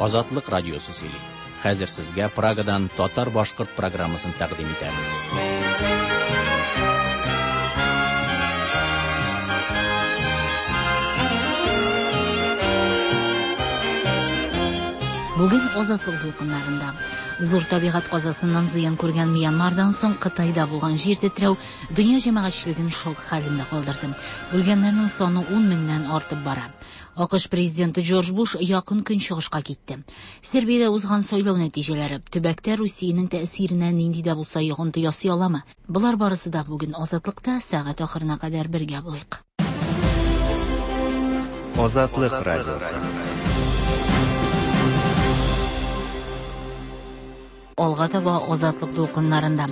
Азатлык радиосы сөйли. Хәзер сезгә Прагадан татар-башкорт программасын тәкъдим итәбез. Бүген Азатлык дулкыннарында. Зур табигать казасыннан зыян күргән Мьянмардан соң Кытайда булган җир тетрәү дөнья җәмәгатьчелеген шок хәлендә калдырды. Үлгәннәрнең саны 10 меңнән артып бара. АКШ президенты Джордж Буш Якын Көнчыгышка китте. Сербиядә узган сайлау нәтиҗәләре төбәктә Русиянең тәэсиренә нинди дә булса йогынты ясый аламы? Болар барысы да бүген Азатлыкта, сәгать ахырына кадәр бергә булыйк. Азатлык радиосы. Алга таба Азатлык дулкыннарында.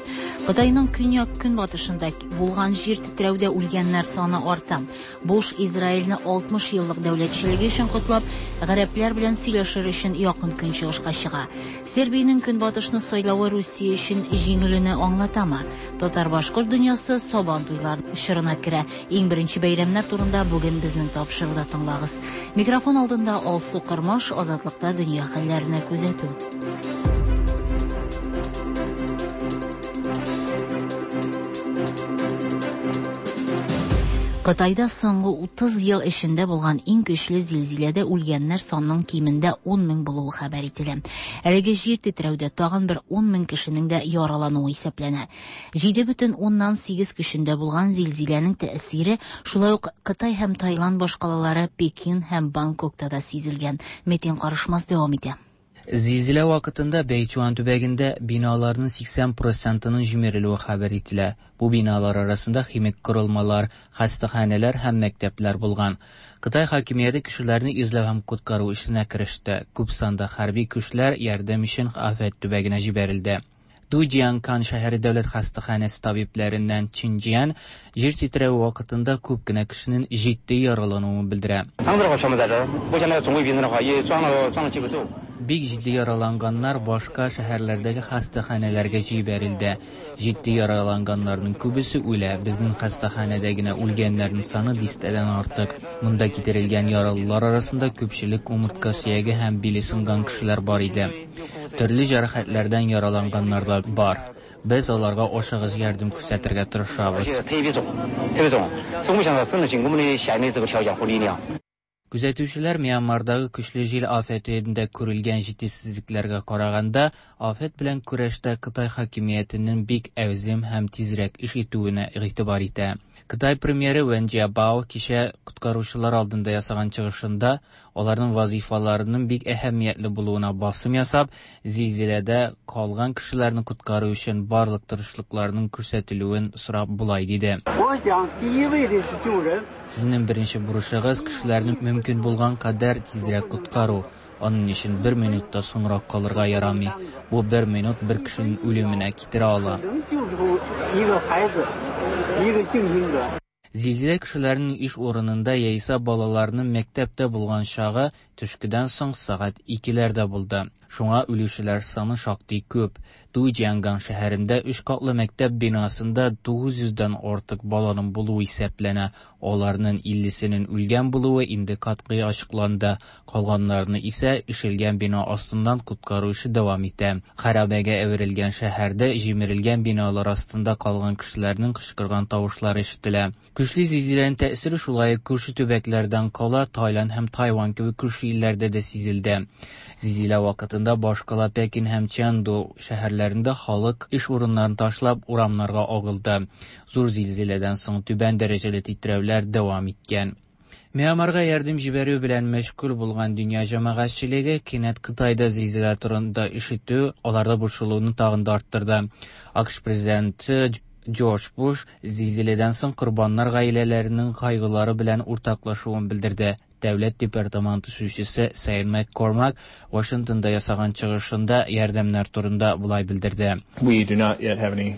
Кытайның көньяк-көнбатышында булган җир тетрәүдә үлгәннәр саны арта. Буш Израильне 60 еллык дәүләтчелеге өчен котлап, гарәпләр белән сөйләшер өчен Якын Көнчыгышка чыга. Сербиянең Көнбатышны сайлавы Русия өчен җиңелүне аңлатамы? Татар-башкорт дөньясы Сабан туйлар чорына керә. Иң беренче бәйрәмнәр турында бүген безнең тапшыруда тыңлагыз. Микрофон алдында Алсу Кормаш, Азатлыкта дөнья хәлләренә күзәтү. Кытайда соңгы 30 ел эчендә булган иң көчле зилзиләдә үлгәннәр санының кимендә 10 мең булуы хәбәр ителә. Әлеге җир тетрәүдә тагын бер 10 мең кешенең дә яралануы исәпләнә. 7,8 көчендә булган зилзиләнең тәэсире шулай ук Кытай һәм Таиланд башкалалары Пекин һәм Бангкокта да сизелгән. Метин Карышмас дәвам итә. Зилзилә вакытында Бәйчуан төбәгендә биналарның 80 процентының җимерелүе хәбәр ителә. Бу биналар арасында химик корылмалар, хастаханәләр һәм мәктәпләр булган. Кытай хакимияте кешеләрне эзләү һәм коткару эшенә кереште. Күп санда хәрби көчләр ярдәм өчен афәт төбәгенә җибәрелде. Дуҗианкан шәһәре дәүләт хастаханәсе табибләреннән Чинҗиан җир тетрәве вакытында күп кенә кешенең җитди яралануын белдерә. Бик җитди яраланганнар башка шәһәрләрдәге хастаханәләргә җибәрелде. Җитди яраланганнарның күбесе үлә. Безнең хастаханәдә генә үлгәннәрнең саны дистәдән артык. Монда китерелгән яралылар арасында күпчелек умыртка сөяге һәм биле сынган кешеләр бар иде. Төрле җәрәхәтләрдән яраланганнар да бар. Без аларга ашыгыч ярдәм күрсәтергә тырышабыз. Күзәтүчеләр Мьянмардагы көчле җил афәтендә күрелгән җитешсезлекләргә караганда, афәт белән көрәштә Кытай хакимиятенең бик әүзем һәм тизрәк эш итүенә игътибар итә. Кытай премьеры Вэн Җиабао кичә коткаручылар алдында ясаган чыгышында аларның вазифаларының бик әһәмиятле булуына басым ясап, зилзиләдә калган кешеләрне коткару өчен барлык тырышлыкларның күрсәтелүен сорап болай диде. Сезнең беренче бурычыгыз кешеләрне мөмкин булган кадәр тизрәк коткару. Аның өчен бер минут та соңрак калырга ярамый. Бу бер минут бер кешенең үлеменә китерә ала. Зилзилә кешеләрнең эш урынында яисә балаларның мәктәптә булган чагы төшкедән соң сәгать 2-ләрдә булды. Шуңа үлүчеләр саны шактый күп. Дуҗианган шәһәрендә өч катлы мәктәп бинасында 900дән артык баланың булуы исәпләнә. Аларның 50сенең үлгән булуы инде катгый ачыкланды. Калганнарны исә ишелгән бина астыннан коткару эше дәвам итә. Хәрабәгә әверелгән шәһәрдә җимерелгән биналар астында калган кешеләрнең кычкырган тавышлары ишетелә. Көчле зилзиләнең тәэсире шулай ук күрше төбәкләрдән кала Таиланд һәм Тайвань кебек күрше илләрдә дә сизелде. Зилзилә вакытында башкала Пекин һәм Чэнду шәһәрләрендә халык эш урыннарын ташлап урамнарга агылды. Зур зилзиләдән соң түбән дәрәҗәле тетрәүләр дәвам иткән. Мьянмарга ярдәм җибәрү белән мәшгуль булган дөнья җәмәгатьчелеге кинәт Кытайда зилзилә турында ишетү аларда борчылуны тагын да арттырды. АКШ президенты Джордж Буш зилзиләдән соң корбаннар гаиләләренең кайгылары белән уртаклашуын белдерде. Дәүләт департаменты сүзчесе Сейн МакКормак Вашингтонда ясаган чыгышында ярдәмнәр турында болай белдерде. We do not yet have any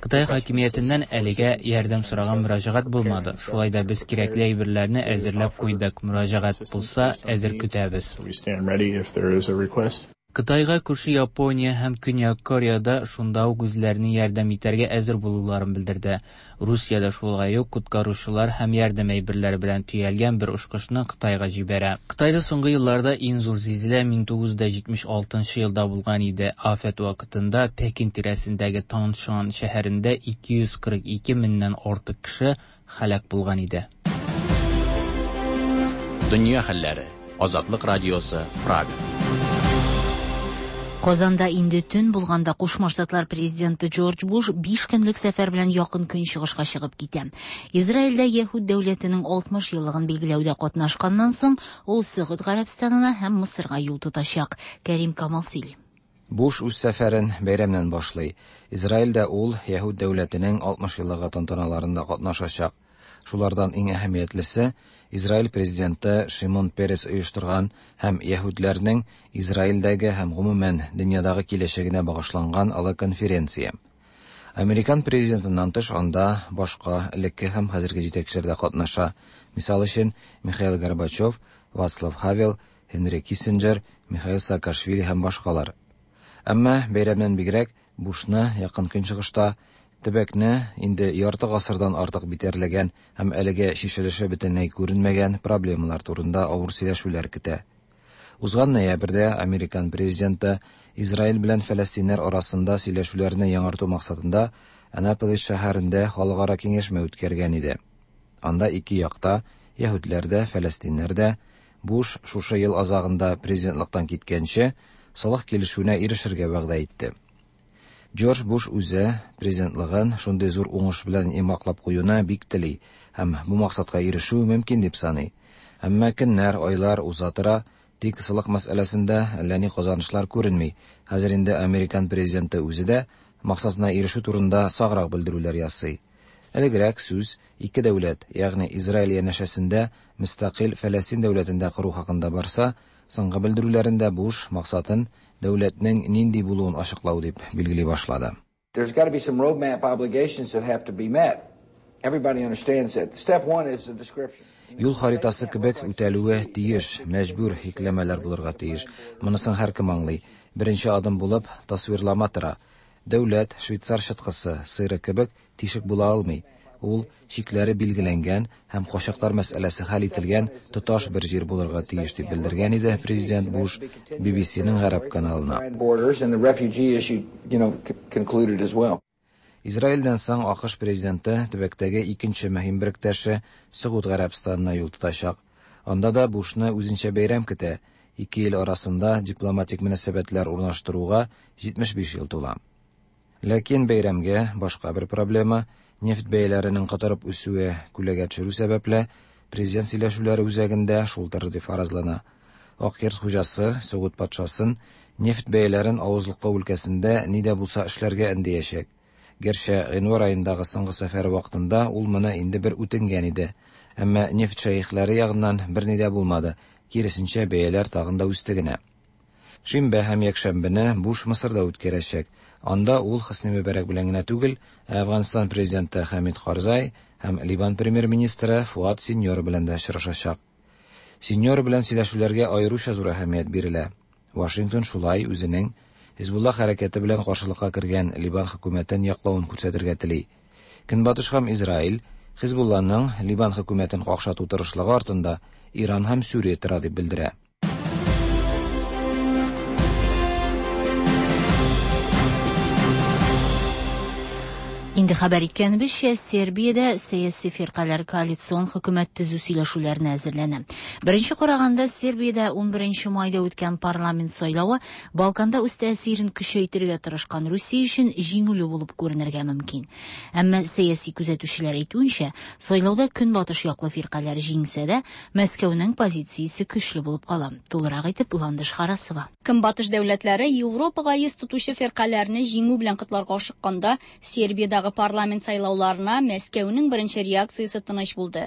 Кытай хакимиятеннән әлегә ярдәм сораган мөрәҗәгать булмады. Шулай да без кирәкле әйберләрне әзерләп куйдык. Мөрәҗәгать булса, әзер көтәбез. We stand ready if there is a request. Кытайга күрше Япония һәм Көньяк Корея да шунда ук үзләренең ярдәм итәргә әзер булуларын белдерде. Русия дә шулай ук коткаручылар һәм ярдәм әйберләре белән төялгән бер очкычны Кытайга җибәрә. Кытайда соңгы елларда иң зур зилзилә 1976 елда булган иде. Афәт вакытында Пекин тирәсендәге Таншан шәһәрендә 242 меңнән артык кеше һәлак булган иде. Дөнья хәлләре. Азатлык радиосы, Прага. Казанда инде төн булганда Кушма Штатлар президенты Джордж Буш 5 көнлек сәфәр белән Якын Көнчыгышка чыгып китә. Израильдә Яһүд дәүләтенең 60 еллыгын билгеләүдә катнашканнан соң, ул Сөгуд Гарәбстанына һәм Мысырга юл тотачак. Кәрим Камал сөйли. Буш үз сәфәрен бәйрәмнән башлый. Израильдә ул Яһүд дәүләтенең 60 еллыгы тантаналарында катнашачак. Шулардан иң әһәмиятлесе Израиль президенты Шимон Перес оештырган һәм яһүдләрнең Израильдәге һәм гомумән дөньядагы киләчәгенә багышланган олы конференция. Американ президентыннан тыш анда башка элекке һәм хәзерге җитәкчеләр дә катнаша. Мисал өчен, Михаил Горбачев, Вацлав Хавел, Һенри Киссинджер, Михаил Саакашвили һәм башкалар. Әмма бәйрәмнән бигрәк Бушны Якын Көнчыгышта төбәкне инде ярты гасырдан артык битәрләгән һәм әлегә чишелеше бөтенләй күренмәгән проблемалар турында авыр сөйләшүләр көтә. Узган ноябрьдә американ президенты Израиль белән фәләстиннәр арасында сөйләшүләрне яңарту максатында Анаполис шәһәрендә халыкара киңәшмә үткәргән иде. Анда ике якта, яһүдләр дә, фәләстиннәр дә, Буш шушы ел азагында президентлыктан киткәнче, солых килешүенә ирешергә вәгъдә итте. Джордж Буш үзе президентлыгын шундый зур уңыш белән йомгаклап куюны бик тели һәм бу максатка ирешү мөмкин дип саный. Әмма көннәр, айлар уза тора, тик солых мәсьәләсендә әллә ни казанышлар күренми. Хәзер инде американ президенты үзе дә максатына ирешү турында саграк белдерүләр ясый. Элегрәк сүз ике дәүләт, ягъни Израиль янәшәсендә мөстәкыйль Фәләстин дәүләтен дә кору хакында барса, соңгы белдерүләрендә Буш максатын дәүләтнең нинди булуын ачыклау дип билгели башлады. There's got to be some roadmap obligations that have to be met. Everybody understands that. Step one is the description. Юл харитасы кебек үтәлүе тиеш, мәҗбүр йөкләмәләр булырга тиеш. Монысын һәркем аңлый. Беренче адым булып тасвирлама тора. Дәүләт швейцар чыткысы, сыйры кебек тишек була алмый. Ул чикләре билгеләнгән һәм качаклар мәсьәләсе хәл ителгән тоташ бер җир булырга тиеш дип белдергән иде президент Буш BBC-ның гарәп каналына. Borders and the refugee issue, concluded as well. Израильдән соң АКШ президенты төбәктәге икенче мөһим беректәше Сөгуд Гарәбстанына юл тотачак. Анда да Бушны үзенчә бәйрәм көтә. Ике ил арасында дипломатик мөнәсәбәтләр урнаштыруга 75 ел тула. Ләкин бәйрәмгә башка бер проблема нефть бәяләренең котырып үсүе күләгә төшерү сәбәпле президент сөйләшүләре үзәгендә шул торыр дип фаразлана. Ак йорт хуҗасы Сөгуд патшасын нефть бәяләрен авызлыклау өлкәсендә ни дә булса эшләргә өндәячәк. Гәрчә гыйнвар аендагы соңгы сәфәре вакытында ул моны инде бер үтенгән иде. Әмма нефть шәехләре ягыннан берни дә булмады. Киресенчә, бәяләр тагын да үсте генә. Шимбә һәм якшәмбене Буш Мысырда үткәрәчәк. Анда ул Хөсни Мөбәрәк белән генә түгел, ә Әфганстан президенты Хәмид Карзай һәм Либан премьер-министры Фуад Синьора белән дә очрашачак. Синьора белән сөйләшүләргә аеруча зур әһәмият бирелә. Вашингтон шулай үзенең Хизбулла хәрәкәте белән каршылыкка кергән Либан хөкүмәтен яклавын күрсәтергә тели. Көнбатыш һәм Израиль Хизбулланың Либан хөкүмәтен какшату тырышлыгы артында Иран һәм Сүрия тора дип белдерә. Инде хәбәр иткәнебезчә, Сербиядә сәяси фиркаләр коалицион хөкүмәт төзү сөйләшүләренә әзерләнә. Беренче караганда Сербиядә 11 майда үткән парламент сайлавы Балканда үз тәэсирен көчәйтергә тырышкан Русия өчен җиңүле булып күренергә мөмкин. Әмма сәяси күзәтүчеләр әйтүенчә, сайлауда көнбатыш яклы фиркаләр җиңсә дә, Мәскәүнең позициясе көчле булып кала. Тулырак итеп Ландыш Харасова. Көнбатыш дәүләтләре Европага йөз тотучы фиркаләрне җиңү белән котларга ашыкканда, Сербиядагы парламент сайлауларына Мәскәүнең беренче реакциясе тыныч булды.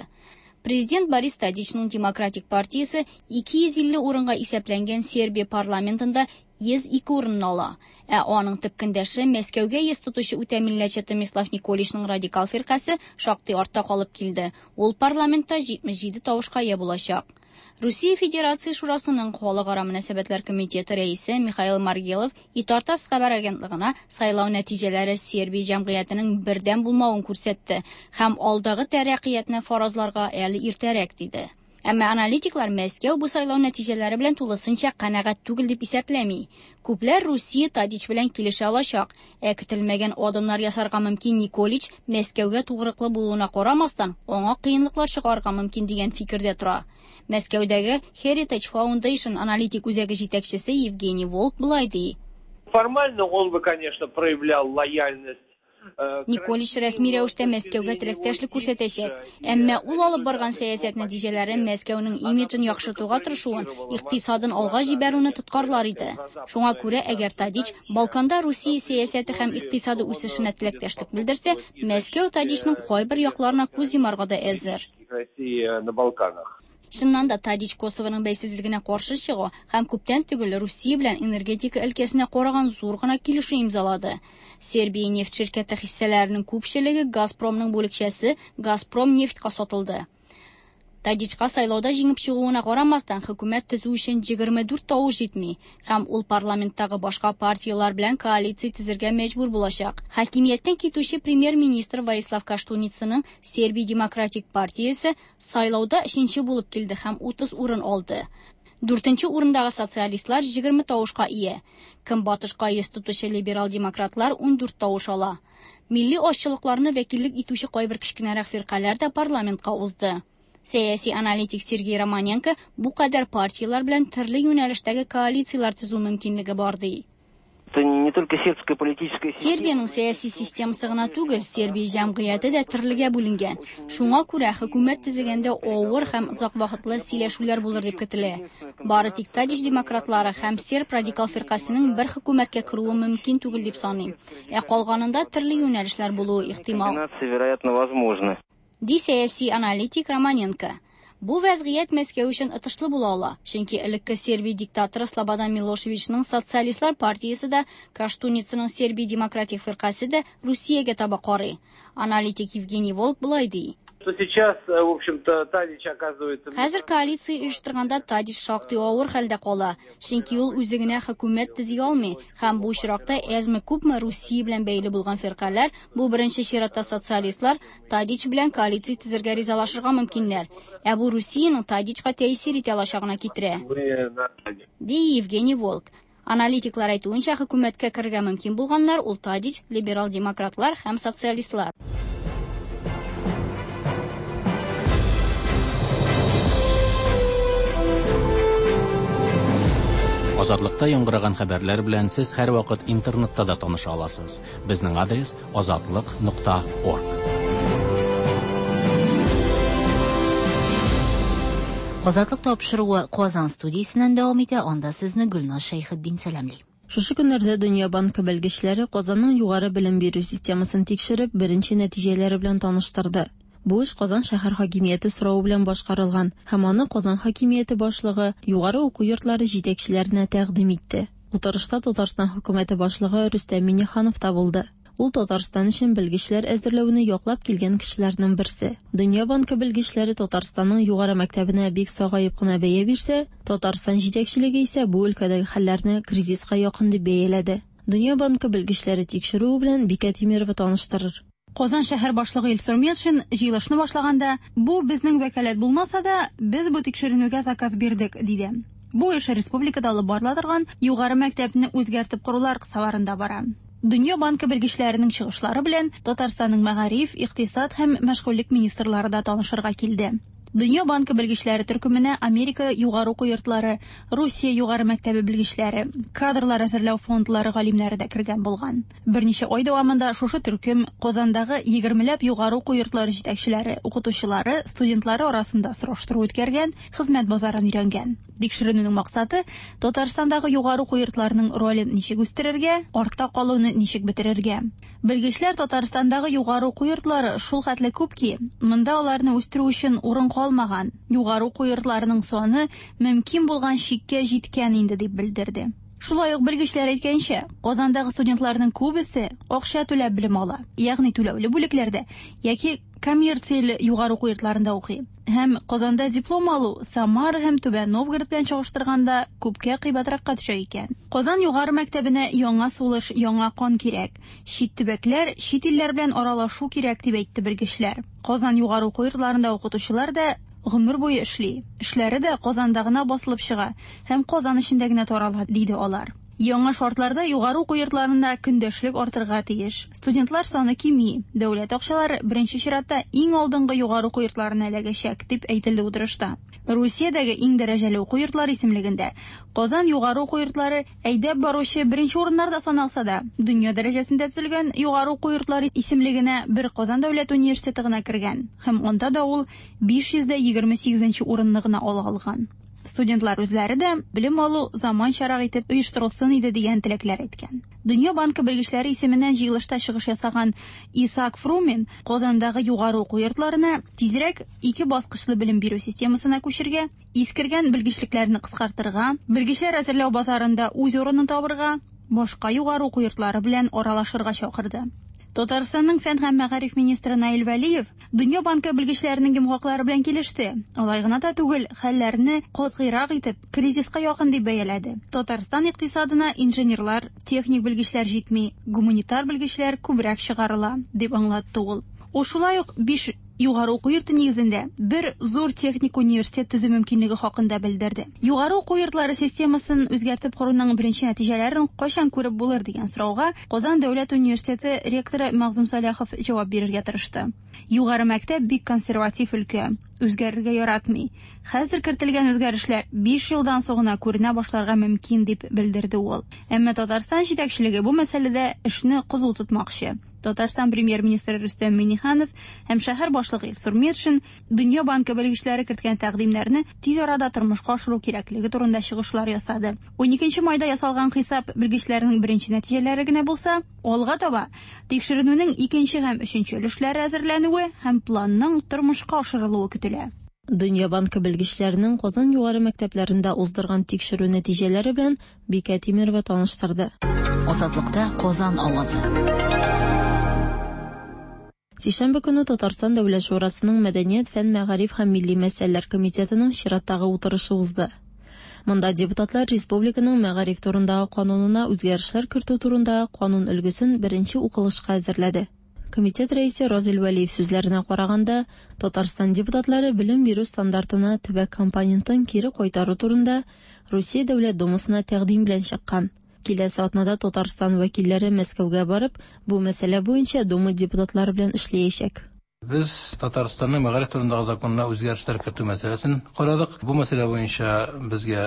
Президент Борис Тадичның Демократик партиясе 250 урынга исәпләнгән Сербия парламентында 102 урынны ала. Ә аның төп көндәше Мәскәүгә йөз тотучы үтә милләтче Томислав Николичның радикал фиркасе шактый артта калып килде. Ул парламентта 77 тавышка ия булачак. Русия Федерация Шурасының Халыкара мөнәсәбәтләр комитеты рәисе Михаил Маргелов ИТАР-ТАСС хәбәр агентлыгына сайлау нәтиҗәләре Сербия җәмгыятенең бердәм булмавын күрсәтте һәм алдагы тәрәккыятне фаразларга әле иртәрәк диде. Әмма аналитиклар Мәскәү бу сайлау нәтиҗәләре белән тулысынча канәгать түгел дип исәпләми. Күпләр Русия Тадич белән килешә алачак, ә көтелмәгән адымнар ясарга мөмкин Николич Мәскәүгә тугрыклы булуына карамастан, аңа кыенлыклар чыгарырга мөмкин дигән фикердә тора. Мәскәүдәге Heritage Foundation аналитик үзәге җитәкчесе Евгений Волк болай ди. Формально он бы, конечно, проявлял лояльность Николич рәсми рәвештә Мәскәүгә теләктәшлек күрсәтәчәк. Әмма ул алып барган сәясәт нәтиҗәләре Мәскәүнең имиджын яхшыртуга тырышуын, икътисадын алга җибәрүне тоткарлар иде. Шуңа күрә, әгәр Тадич Балканда Русия сәясәте һәм икътисады үсешенә теләктәшлек белдерсә, Мәскәү Тадичның кайбер якларына күз йомарга да әзер. Россия на Балканах. Чыннан да Тадич Косовоның бәйсезлегенә каршы чыга һәм күптән түгел Русия белән энергетика өлкәсенә караган зур гына килешү имзалады. Сербия нефть ширкәте хиссәләренең күпчелеге Газпромның бүлекчәсе Газпром нефтькә сатылды. Тадичка сайлауда җиңеп чыгуына карамастан, хөкүмәт төзү өчен 24 тавыш җитми һәм ул парламенттагы башка партияләр белән коалиция төзергә мәҗбүр булачак. Хакимияттән китүче премьер-министр Воислав Каштуницаның Сербия демократик партиясе сайлауда өченче булып килде һәм 30 урын алды. Дүртенче урындагы социалистлар 20 тавышка ия. Көнбатышка йөз тотучы либерал-демократлар 14 тавыш ала. Милли азчылыкларны вәкиллек итүче кайбер кечкенәрәк фиркаләр дә парламентка узды. Сәяси аналитик Сергей Романенко бу кадәр партияләр белән төрле юнәлештәге коалицияләр төзү мөмкинлеге бар ди. Это не только сербская политическая Сербиянең сәяси системасы гына түгел, Сербия җәмгыяте дә төрлегә бүленгән. Шуңа күрә хөкүмәт төзегәндә авыр һәм озак вакытлы сөйләшүләр булыр дип көтелә. Бары тик Тадич демократлары һәм серб радикал фиркасының бер хөкүмәткә керүе мөмкин түгел дип саныйм. Ә калганында төрле юнәлешләр булуы ихтимал. Комбинации, вероятно, возможны. Ди сәяси аналитик Романенко. Бу вәзгыять Мәскәү өчен отышлы була ала, чөнки элекке Сербия диктаторы Слободан Милошевичның социалистлар партиясе дә, Каштуницаның Сербия демократик фиркасе дә Русиягә таба карый. Аналитик Евгений Волк болай ди. Что сейчас, в общем-то, Тадич оказывается... Хәзер коалиция оештырганда Тадич шактый авыр хәлдә кала, чөнки ул үзе генә хөкүмәт төзи алмый һәм бу очракта әзме-күпме Русия белән бәйле булган фиркаләр, бу беренче чиратта социалистлар, Тадич белән коалиция төзергә ризалашырга мөмкиннәр. Ә бу Русиянең Тадичка тәэсир итә алачагына китерә. Ди Евгений Волк. Аналитиклар әйтүенчә, хөкүмәткә керергә мөмкин булганнар ул Тадич, либерал-демократлар һәм социалистлар. Азатлыкта яңгыраган хәбәрләр белән сез һәрвакыт интернетта да таныша аласыз. Безнең адрес azatliq.org. Азатлык тапшыруы Казан студиясеннән дәвам итә, анда сезне Гөлназ Шәйхетдин сәламли. Шушы көннәрдә Дөнья банкы белгечләре Казанның югары белем бирү системасын тикшереп, беренче нәтиҗәләре белән таныштырды. Бу эш Казан шәһәр хакимияте соравы белән башкарылган һәм аны Казан хакимияте башлыгы югары уку йортлары җитәкчеләренә тәкъдим итте. Утырышта Татарстан хөкүмәте башлыгы Рөстәм Миңнеханов та булды. Ул Татарстан өчен белгечләр әзерләүне яклап килгән кешеләрнең берсе. Дөнья банкы белгечләре Татарстанның югары мәктәбенә бик сагаеп кына бәя бирсә, Татарстан җитәкчелеге исә бу өлкәдәге хәлләрне кризиска якын дип бәяләде. Дөнья банкы белгечләре тикшерүе белән Бикә Тимирова таныштырыр. Казан шәһәр башлыгы Илсур Метшин җыелышны башлаганда, бу безнең вәкаләт булмаса да, без бу тикшеренүгә заказ бирдек, диде. Бу эш республикада алып барыла торган югары мәктәпне үзгәртеп корулар кысаларында бара. Дөнья банкы белгечләренең чыгышлары белән Татарстанның мәгариф, икътисад һәм мәшгульлек министрлары да танышырга килде. Дөнья банкы белгечләре төркеменә Америка югары уку йортлары, Русия югары мәктәбе белгечләре, кадрлар әзерләү фондлары галимнәре дә кергән булган. Берничә ай дәвамында шушы төркем Казандагы 20ләп югары уку йортлары җитәкчеләре, укытучылары, студентлары арасында сораштыру үткәргән, хезмәт базарын өйрәнгән. Тикшеренүнең максаты Татарстандагы югары уку йортларының ролен ничек үстерергә, артта калуны ничек бетерергә. Белгечләр Татарстандагы югары уку йортлары шул хәтле күп ки, монда аларны үстерү өчен урын калмаган. Югары уку йортларының саны мөмкин булган чиккә җиткән инде дип белдерде. Шулай ук белгечләр әйткәнчә, Казандагы студентларның күбесе акча түләп белем ала, ягъни түләүле бүлекләрдә яки коммерцияле югары уку йортларында укый. Һәм Казанда диплом алу Самара һәм Түбән Новгород белән чагыштырганда күпкә кыйбатракка төшә икән. Казан югары мәктәбенә яңа сулыш, яңа кан кирәк. Чит төбәкләр, чит илләр белән аралашу кирәк, дип әйтте белгечләр. Казан югары уку йортларында укытучылар да гомер буе эшли. Эшләре дә Казанда гына басылып чыга һәм Казан эчендә генә тарала, диде алар. Яңа шартларда югары уку йортларында көндәшлек артырга тиеш. Студентлар саны кими, дәүләт акчалары беренче чиратта иң алдынгы югары уку йортларына эләгәчәк, дип әйтелде утырышта. Русиядәге иң дәрәҗәле уку йортлары исемлегендә Казан югары уку йортлары әйдәп баручы беренче урыннарда саналса да, дөнья дәрәҗәсендә төзелгән югары уку йортлары исемлегенә бер Казан дәүләт университеты гына кергән һәм анда да ул 528 нче урынны гына ала алган. Студентлар үзләре дә белем алу заманчарак итеп оештырылсын иде дигән теләкләр әйткән. Дөнья банкы белгечләре исеменнән җыелышта чыгыш ясаган Исаак Фрумин Казандагы югары уку йортларына тизрәк ике баскычлы белем бирү системасына күчергә, искергән белгечлекләрне кыскартырга, белгечләр әзерләү базарында үз урынын табырга, башка югары уку йортлары белән аралашырга чакырды. Татарстанның фән һәм мәгариф министры Наил Вәлиев Дөнья банкы белгечләренең йомгаклары белән килеште. Алай гына да түгел, хәлләрне катгыйрак итеп, кризиска якын дип бәяләде. Татарстан икътисадына инженерлар, техник белгечләр җитми, гуманитар белгечләр күбрәк чыгарыла, дип аңлатты ул. Ул шулай ук биш югары уку йорты нигезендә бер зур техник университет төзү мөмкинлеге хакында белдерде. Югары уку йортлары системасын үзгәртеп коруның беренче нәтиҗәләрен кайчан күреп булыр дигән сорауга Казан дәүләт университеты ректоры Мәгъзүм Сәлахов җавап бирергә тырышты. Югары мәктәп бик консерватив өлкә, үзгәрергә яратмый. Хәзер кертелгән үзгәрешләр 5 елдан соң гына күренә башларга мөмкин, дип белдерде ул. Әмма Татарстан җитәкчелеге бу мәсьәләдә эшне кызу тотмакчы. Татарстан премьер-министры Рөстәм Миңнеханов һәм шәһәр башлыгы Илсур Метшин Дөнья банкы белгечләре керткән тәкъдимнәрне тиз арада тормышка ашыру кирәклеге турында чыгышлар ясады. 12 майда ясалган хисап белгечләрнең беренче нәтиҗәләре генә булса, алга таба тикшеренүнең икенче һәм өченче өлешләре әзерләнүе һәм планның тормышка ашырылуы көтелә. Дөнья банкы белгечләренең Казан югары мәктәпләрендә уздырган тикшерү нәтиҗәләре белән Бикә Тимерова таныштырды. Азатлыкта Казан авазы. Сишәмбе көне Татарстан Дәүләт Шурасының Мәдәният, фән, мәгариф һәм милли мәсьәләләр комитетының чираттагы утырышы узды. Монда депутатлар республиканың мәгариф турындагы канунына үзгәрешләр кертү турындагы канун өлгесен беренче укылышка әзерләде. Комитет рәисе Разил Вәлиев сүзләренә караганда, Татарстан депутатлары белем бирү стандартына төбәк компонентын кире кайтару турында Русия Дәүләт Думасына тәкъдим белән чыккан. Киләсе атнада Татарстан вәкилләре Мәскәүгә барып, бу мәсьәлә буенча Дума депутатлары белән эшләячәк. Без Татарстанның мәгариф турындагы законына үзгәрешләр кертү мәсьәләсен карадык. Бу мәсьәлә буенча безгә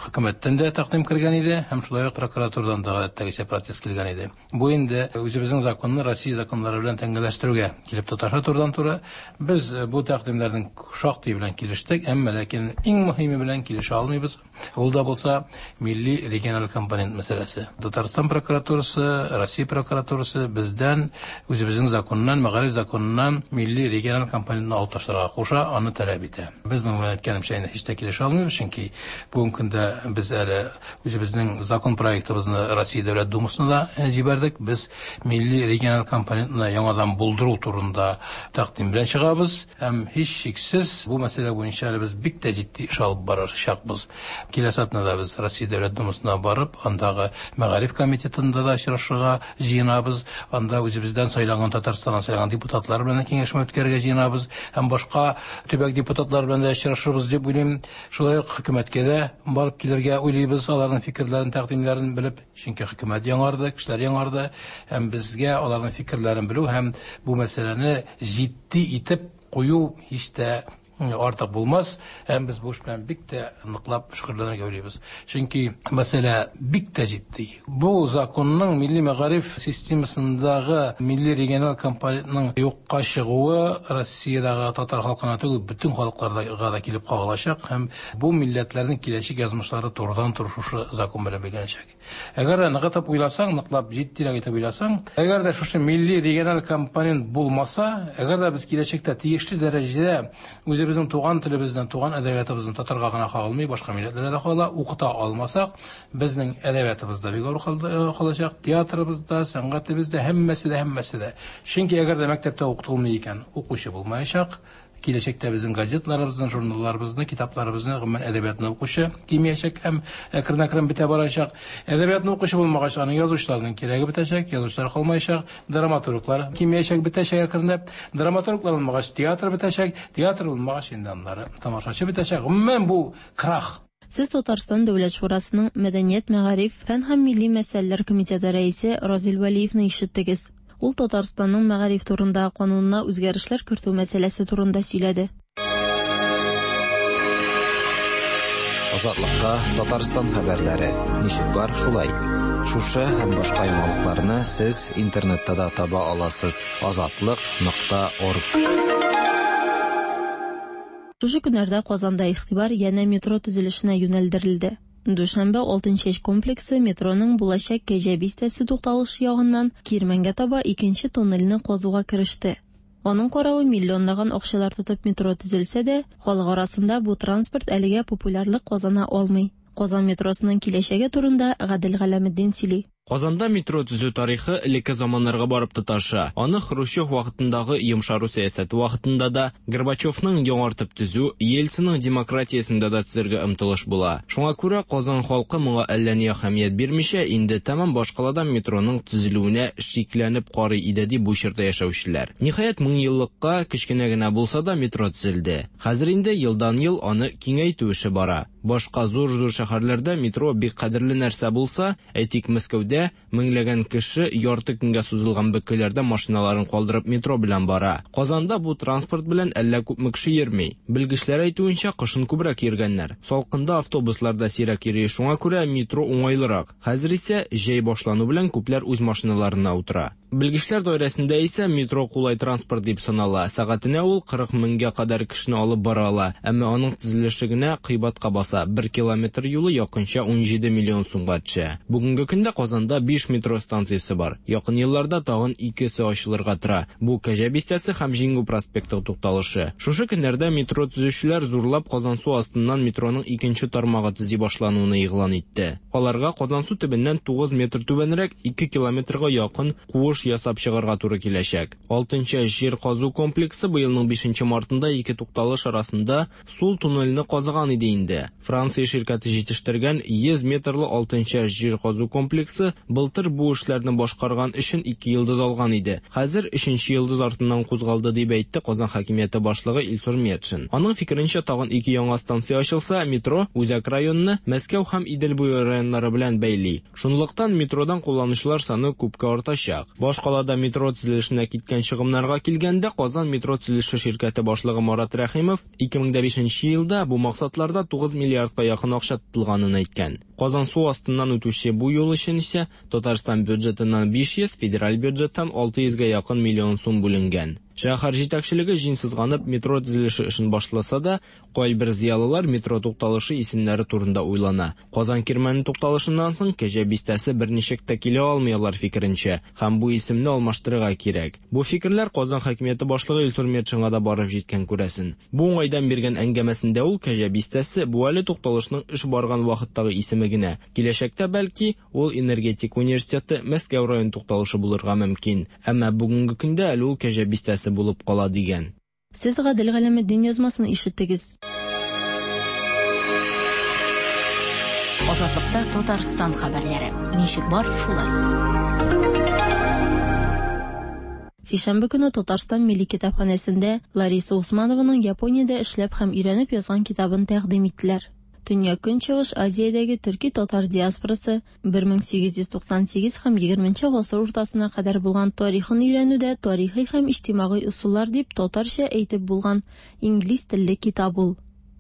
хөкүмәттән дә тәкъдим кергән иде һәм шулай ук прокуратурадан да гадәттәгечә протест килгән иде. Бу инде үзебезнең законны Россия законнары белән тәңгәлләштерүгә килеп тоташа турыдан-туры. Без бу тәкъдимнәрнең шактый белән килештек, әмма ләкин иң мөһиме белән килешә алмыйбыз. Ул да булса милли региональ компонент мәсьәләсе. Татарстан прокуратурасы, Россия прокуратурасы бездән үзебезнең законнан, мәгариф законыннан милли региональ компонентны алып ташларга куша, аны таләп итә. Без моның белән әйткәнемчә инде һич тә килешә алмыйбыз, чөнки бүгенге көндә без әле үзебезнең закон проектыбызны Россия Дәүләт Думасына да җибәрдек. Без милли региональ компонентны яңадан булдыру турында тәкъдим белән чыгабыз. Һәм һичшиксез бу мәсьәлә буенча әле без бик тә җитди эш алып барачакбыз. Киләсе атнада без Россия Дәүләт Думасына барып, андагы мәгариф комитетында да очрашырга җыенабыз. Анда үзебездән сайланган, Татарстаннан сайланган депутатлар белән дә киңәшмә үткәрергә җыенабыз һәм башка төбәк депутатлары белән дә очрашырбыз дип уйлыйм. Шулай ук хөкүмәткә дә барып килергә уйлыйбыз, аларның фикерләрен, тәкъдимнәрен белеп. Чөнки хөкүмәт яңарды, кешеләр яңарды һәм безгә аларның фикерләрен белү һәм бу мәсьәләне җитди итеп кую һич тә артык булмас һәм без бу эш белән бик тә ныклап шөгыльләнергә уйлыйбыз. Чөнки мәсьәлә бик тә җитди. Бу законның милли мәгариф системасындагы милли региональ компонентның юкка чыгуы Россиядәге татар халкына түгел, бөтен халыкларга да килеп кагылачак һәм бу милләтләрнең киләчәк язмышлары турыдан-туры шушы закон белән бәйләнәчәк. Әгәр дә ныгытып уйласаң, ныклап җитдирәк итеп уйласаң, әгәр дә шушы милли региональ компонент булмаса, әгәр дә без киләчәктә тиешле дәрәҗәдә үзебезнең безнең туган телебезне, туган әдәбиятыбызны татарга гына кагылмый, башка милләтләргә дә кагыла, укыта алмасак, безнең әдәбиятыбыз да бик авыр калачак, театрыбыз да, сәнгатебез дә, һәммәсе дә, һәммәсе дә. Чөнки әгәр дә мәктәптә укытылмый икән, укучы булмаячак. Киләчәктә безнең газетларыбызны, журналларыбызны, китапларыбызны, гомумән әдәбиятны укучы кимиячәк һәм әкрен-әкрен бетә барачак. Әдәбиятны укучы булмагач, аның язучыларның кирәге бетәчәк, язучылар калмаячак, драматурглар кимиячәк, бетәчәк әкренләп. Драматурглар булмагач, театр бетәчәк, театр булмагач, инде аннары тамашачы бетәчәк. Гомумән бу крах. Сез Татарстан Дәүләт шурасының Мәдәният, мәгариф, фән һәм милли мәсьәләләр комитеты рәисе Разил Вәлиевны ишеттегез. Ул Татарстанның мәгариф турындагы канунына үзгәрешләр кертү мәсьәләсе турында сөйләде. Азатлыкта Татарстан хәбәрләре. Ничек бар, шулай. Шушы һәм башка яңалыкларны сез интернетта да таба аласыз. Азатлык.орг. Шушы көннәрдә Казанда игътибар янә метро төзелешенә юнәлдерелде. Дүшәмбе Алтынчәч комплексы метроның булачак Кәҗә бистәсе тукталышы ягыннан Кирмәнгә таба икенче туннельне казуга кереште. Аның каравы миллионлаган акчалар тотып метро төзелсә дә, халык арасында бу транспорт әлегә популярлык казана алмый. Казан метросының киләчәге турында Гадел Галәметдин сөйли. Казанда метро төзү тарихы элекке заманнарга барып тоташа. Аны Хрущев вакытындагы йомшару сәясәте вакытында да, Горбачевның яңартып төзү, Ельцинның демократиясендә дә төзергә омтылыш була. Шуңа күрә Казан халкы моңа әллә ни әһәмият бирмичә, инде тәмам башкалада метроның төзелүенә шикләнеп карый иде ди бу чорда яшәүчеләр. Ниһаять, меңьеллыкка кечкенә генә булса да метро төзелде. Хәзер инде елдан-ел аны киңәйтү эше бара. Башка зур-зур шәһәрләрдә метро бик кадерле нәрсә булса, әйтик, Мәскәүдә меңләгән кеше ярты көнгә сузылган бөкеләрдә машиналарын калдырып метро белән бара. Казанда бу транспорт белән әллә күпме кеше йөрми. Белгечләр әйтүенчә, кышын күбрәк йөргәннәр. Салкында автобуслар да сирәк йөри, шуңа күрә метро уңайлырак. Хәзер исә җәй башлану белән күпләр үз машиналарына утыра. Белгечләр даирәсендә исә метро кулай транспорт дип санала. Сәгатенә ул 40 меңгә кадәр кешене алып бара ала. Әмма аның төзелеше генә кыйбатка баса. 1 километр юлы якынча 17 миллион сумга төшә. Бүгенге көндә Казанда 5 метро станциясе бар. Якын елларда тагын икесе ачылырга тора. Бу Кәҗә бистәсе һәм Җиңү проспекты тукталышы. Шушы көннәрдә метро төзүчеләр зурлап Казансу астыннан метроның икенче тармагы төзи башлануын игълан итте. Аларга Казансу төбеннән 9 метр түбәнрәк 2 километрга якын куыш ясап чыгарга туры киләчәк. Алтынчы җир казу комплексы быелның 5 мартында ике тукталыш арасында сул туннельне казыган иде инде. Франция ширкәте җитештергән 100 метрлы алтынчы җир казу комплексы былтыр бу эшләрне башкарган өчен 2 йолдыз алган иде. Хәзер 3 йолдыз артыннан кузгалды дип әйтте Казан хакимияте башлыгы Илсур Метшин. Аның фикеренчә, тагын 2 яңа станция ачылса, метро Үзәк районны Мәскәү һәм Идел буе районнары белән бәйли. Шунлыктан метродан кулланучылар саны күпкә артачак. Башкалада метро төзелешенә киткән чыгымнарга килгәндә, Казан метро төзелеше ширкәте башлыгы Марат Рәхимов 2005 елда бу максатларда 9 миллиардка якын акча тотылганын әйткән. Казан су астыннан үтүче бу юл өчен исә Татарстан бюджетыннан 500, федераль бюджеттан 600гә якын миллион сум бүленгән. Шәһәр җитәкчелеге җиң сызганып метро төзелеше эшен башласа да, кайбер зыялылар метро тукталышы исемнәре турында уйлана. Казан Кирмәне тукталышыннан соң Кәҗә бистәсе берничек тә килә алмый алар фикеренчә, һәм бу исемне алмаштырырга кирәк. Бу фикерләр Казан хакимияте башлыгы Илсур Метшинга да барып җиткән күрәсен. Бу уңайдан биргән әңгәмәсендә ул Кәҗә бистәсе бу әле тукталышның эш барган вакыттагы исеме генә. Киләчәктә бәлки ул энергетик университеты Мәскәү район тукталышы булырга мөмкин. Әмма бүгенге көндә әле ул Кәҗә бистәсе булып кала дигән. Сез Гадел Галәметдин язмасын ишеттегез. Азатлыкта Татарстан хәбәрләре. Ничек бар, шулай. Сишәмбе көне Татарстан Милли китапханәсендә Лариса Усманованың Япониядә эшләп һәм өйрәнеп язган китабын тәкъдим иттеләр. Төньяк Көнчыгыш Азиядәге төрки-татар диаспорасы 1898 һәм 20 гасыр уртасына кадәр булган тарихын өйрәнүдә тарихи һәм иҗтимагый ысуллар дип татарча әйтеп булган инглиз телле китап ул.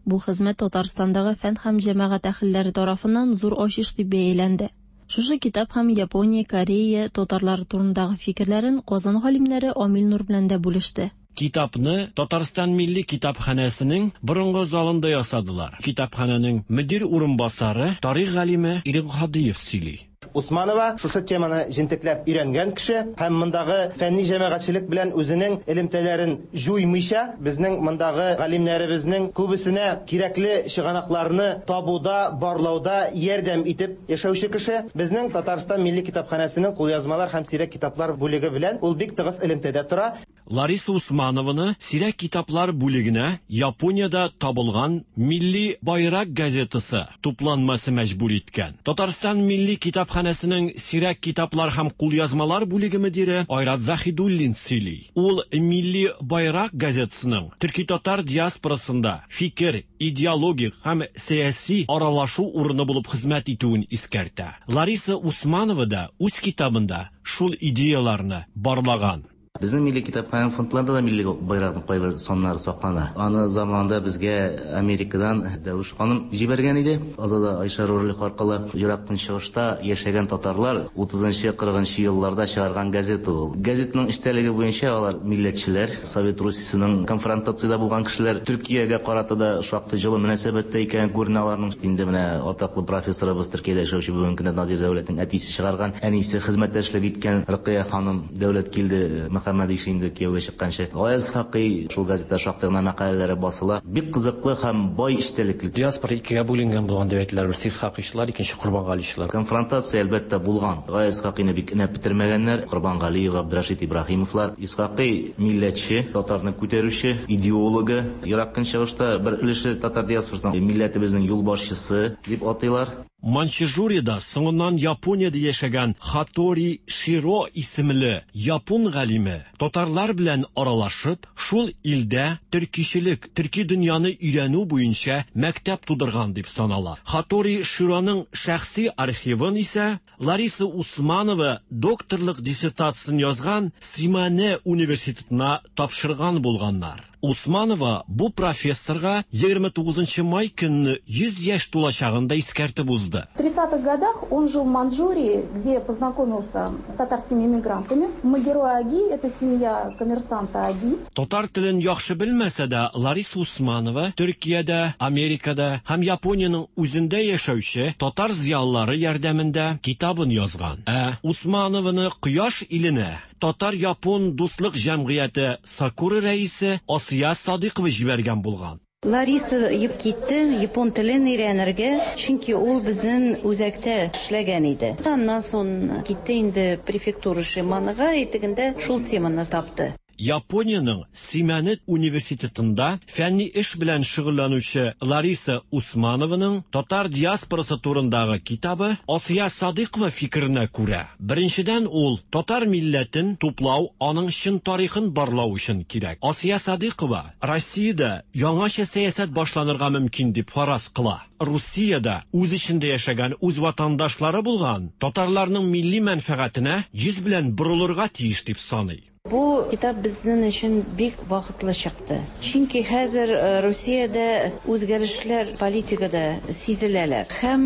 Бу хезмәт Татарстандагы фән һәм җәмәгать әһелләре тарафыннан зур ачыш дип бәяләнде. Шушы китап һәм Япония, Корея татарлары турындагы фикерләрен Казан галимнәре Амил Нур белән дә бүлеште. Китапны Татарстан Милли китапханәсенең борынгы залында ясадылар. Китапханәнең мөдир урынбасары, тарих галиме Ирек Һадиев сөйли. Усманова шушы теманы җентекләп өйрәнгән кеше һәм мондагы фәнни җәмәгатьчелек белән үзенең элемтәләрен җуймыйча, безнең мондагы галимнәребезнең күбесенә кирәкле чыганакларны табуда, барлауда ярдәм итеп яшәүче кеше. Безнең Татарстан Милли китапханәсенең кулъязмалар һәм сирәк китаплар бүлеге белән ул бик тыгыз элемтәдә тора. Лариса Усманованы сирәк китаплар бүлегенә Япониядә табылган Милли байрак газетасы тупланмасы мәҗбүр иткән. Татарстан Милли китапханәсенең сирәк китаплар һәм кулъязмалар бүлеге мөдире Айрат Заһидуллин сөйли. Ул Милли байрак газетасының төрки-татар диаспорасында фикер, идеологик һәм сәяси аралашу урыны булып хезмәт итүен искәртә. Лариса Усманова да үз китабында шул идеяларны барлаган. Безнең милли китапханә фондларында да милли байракның кайбер саннары саклана. Аны заманында безгә Америкадан Дәвеш ханым җибәргән иде. Азада Айша Рурлих аркылы Ерак Көнчыгышта яшәгән татарлар 30-40 елларда чыгарган газета ул. Газетның эчтәлеге буенча алар милләтчеләр, Совет Русиясенең конфронтациядә булган кешеләр, Төркиягә карата да шактый җылы мөнәсәбәттә икән күренә аларның. Инде менә атаклы профессорыбыз Төркиядә яшәүче бүгенге көндә Надир Дәүләтнең әтисе чыгарган, әнисе хезмәттәшлек иткән Рыкыя ханым Дәүләткилде Мөхәммәдише инде кияүгә чыкканчы. Гаяз Исхакый шул газетта шактый гына мәкаләләре басыла. Бик кызыклы һәм бай эчтәлекле. Диаспора икегә бүленгән булган дип әйтәләр. Берсе Исхакыйчылар, икенче Корбангаличылар. Конфронтация, әлбәттә, булган. Гаяз Исхакыйны бик өнәп бетермәгәннәр. Корбангалиев, Габдрәшит Ибраһимовлар. Исхакый милләтче, татарны күтәрүче, идеологы. Ерак Көнчыгышта бер өлеше татар диаспорасының милләтебезнең юлбашчысы дип атыйлар. Маньчжуриядә, соңыннан Япониядә яшәгән Хатори Широ исемле япон галиме татарлар белән аралашып, шул илдә төркичелек, төрки дөньяны өйрәнү буенча мәктәп тудырган дип санала. Хатори Широның шәхси архивын исә Лариса Усманова докторлык диссертациясен язган Симане университетына тапшырган булганнар. Усманова бу профессорга 29 май көнне 100 яшь тулачагын да искәртеп узды. В 30-х годах он жил в Маньчжурии, где познакомился с татарскими эмигрантами. Магерой Аги – это семья коммерсанта Аги. Татар телен яхшы белмәсә дә, Лариса Усманова Төркиядә, Америкада һәм Япониянең үзендә яшәүче татар зыялылары ярдәмендә китабын язган. Ә Усманованы Кояш иленә Татар-япон дуслык җәмгыяте Сакура рәисе Асия Садыйкова җибәргән булган. Лариса китте япон телен өйрәнергә, чөнки ул безнең үзәктә эшләгән иде. Аннан соң китте инде префектура Шиманыга, тегендә шул теманы тапты. Япониянең Симәнет университетында фәнни эш белән шөгыльләнүче Лариса Усманованың татар диаспорасы турындагы китабы Асия Садыйкова фикеренә күрә, беренчедән ул татар милләтен туплау, аның чын тарихын барлау өчен кирәк. Асия Садыйкова Россиядә яңача сәясәт башланырга мөмкин дип фараз кыла. Русиядә үз эчендә яшәгән үз ватандашлары булган татарларның милли мәнфәгатенә йөз белән борылырга тиеш дип саный. Бу китап безнең өчен бик вакытлы чыкты. Чөнки хәзер Русиядә үзгәрешләр политикада сизеләләр. Һәм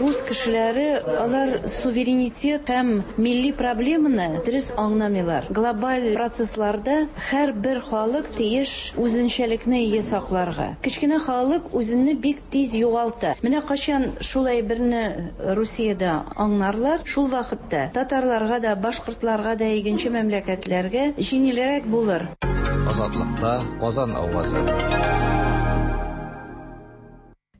рус кешеләре алар суверенитет һәм милли проблеманы дөрес аңламыйлар. Глобаль процессларда һәрбер халык тиеш үзенчәлекне ие сакларга. Кечкенә халык үзенне бик тиз югалта. Менә кайчан шулай берне Русиядә аңларлар, шул вакытта татарларга да, башкортларга да, икенче мәмләкәтләргә җиңелрәк булыр. Азатлыкта Казан авазы.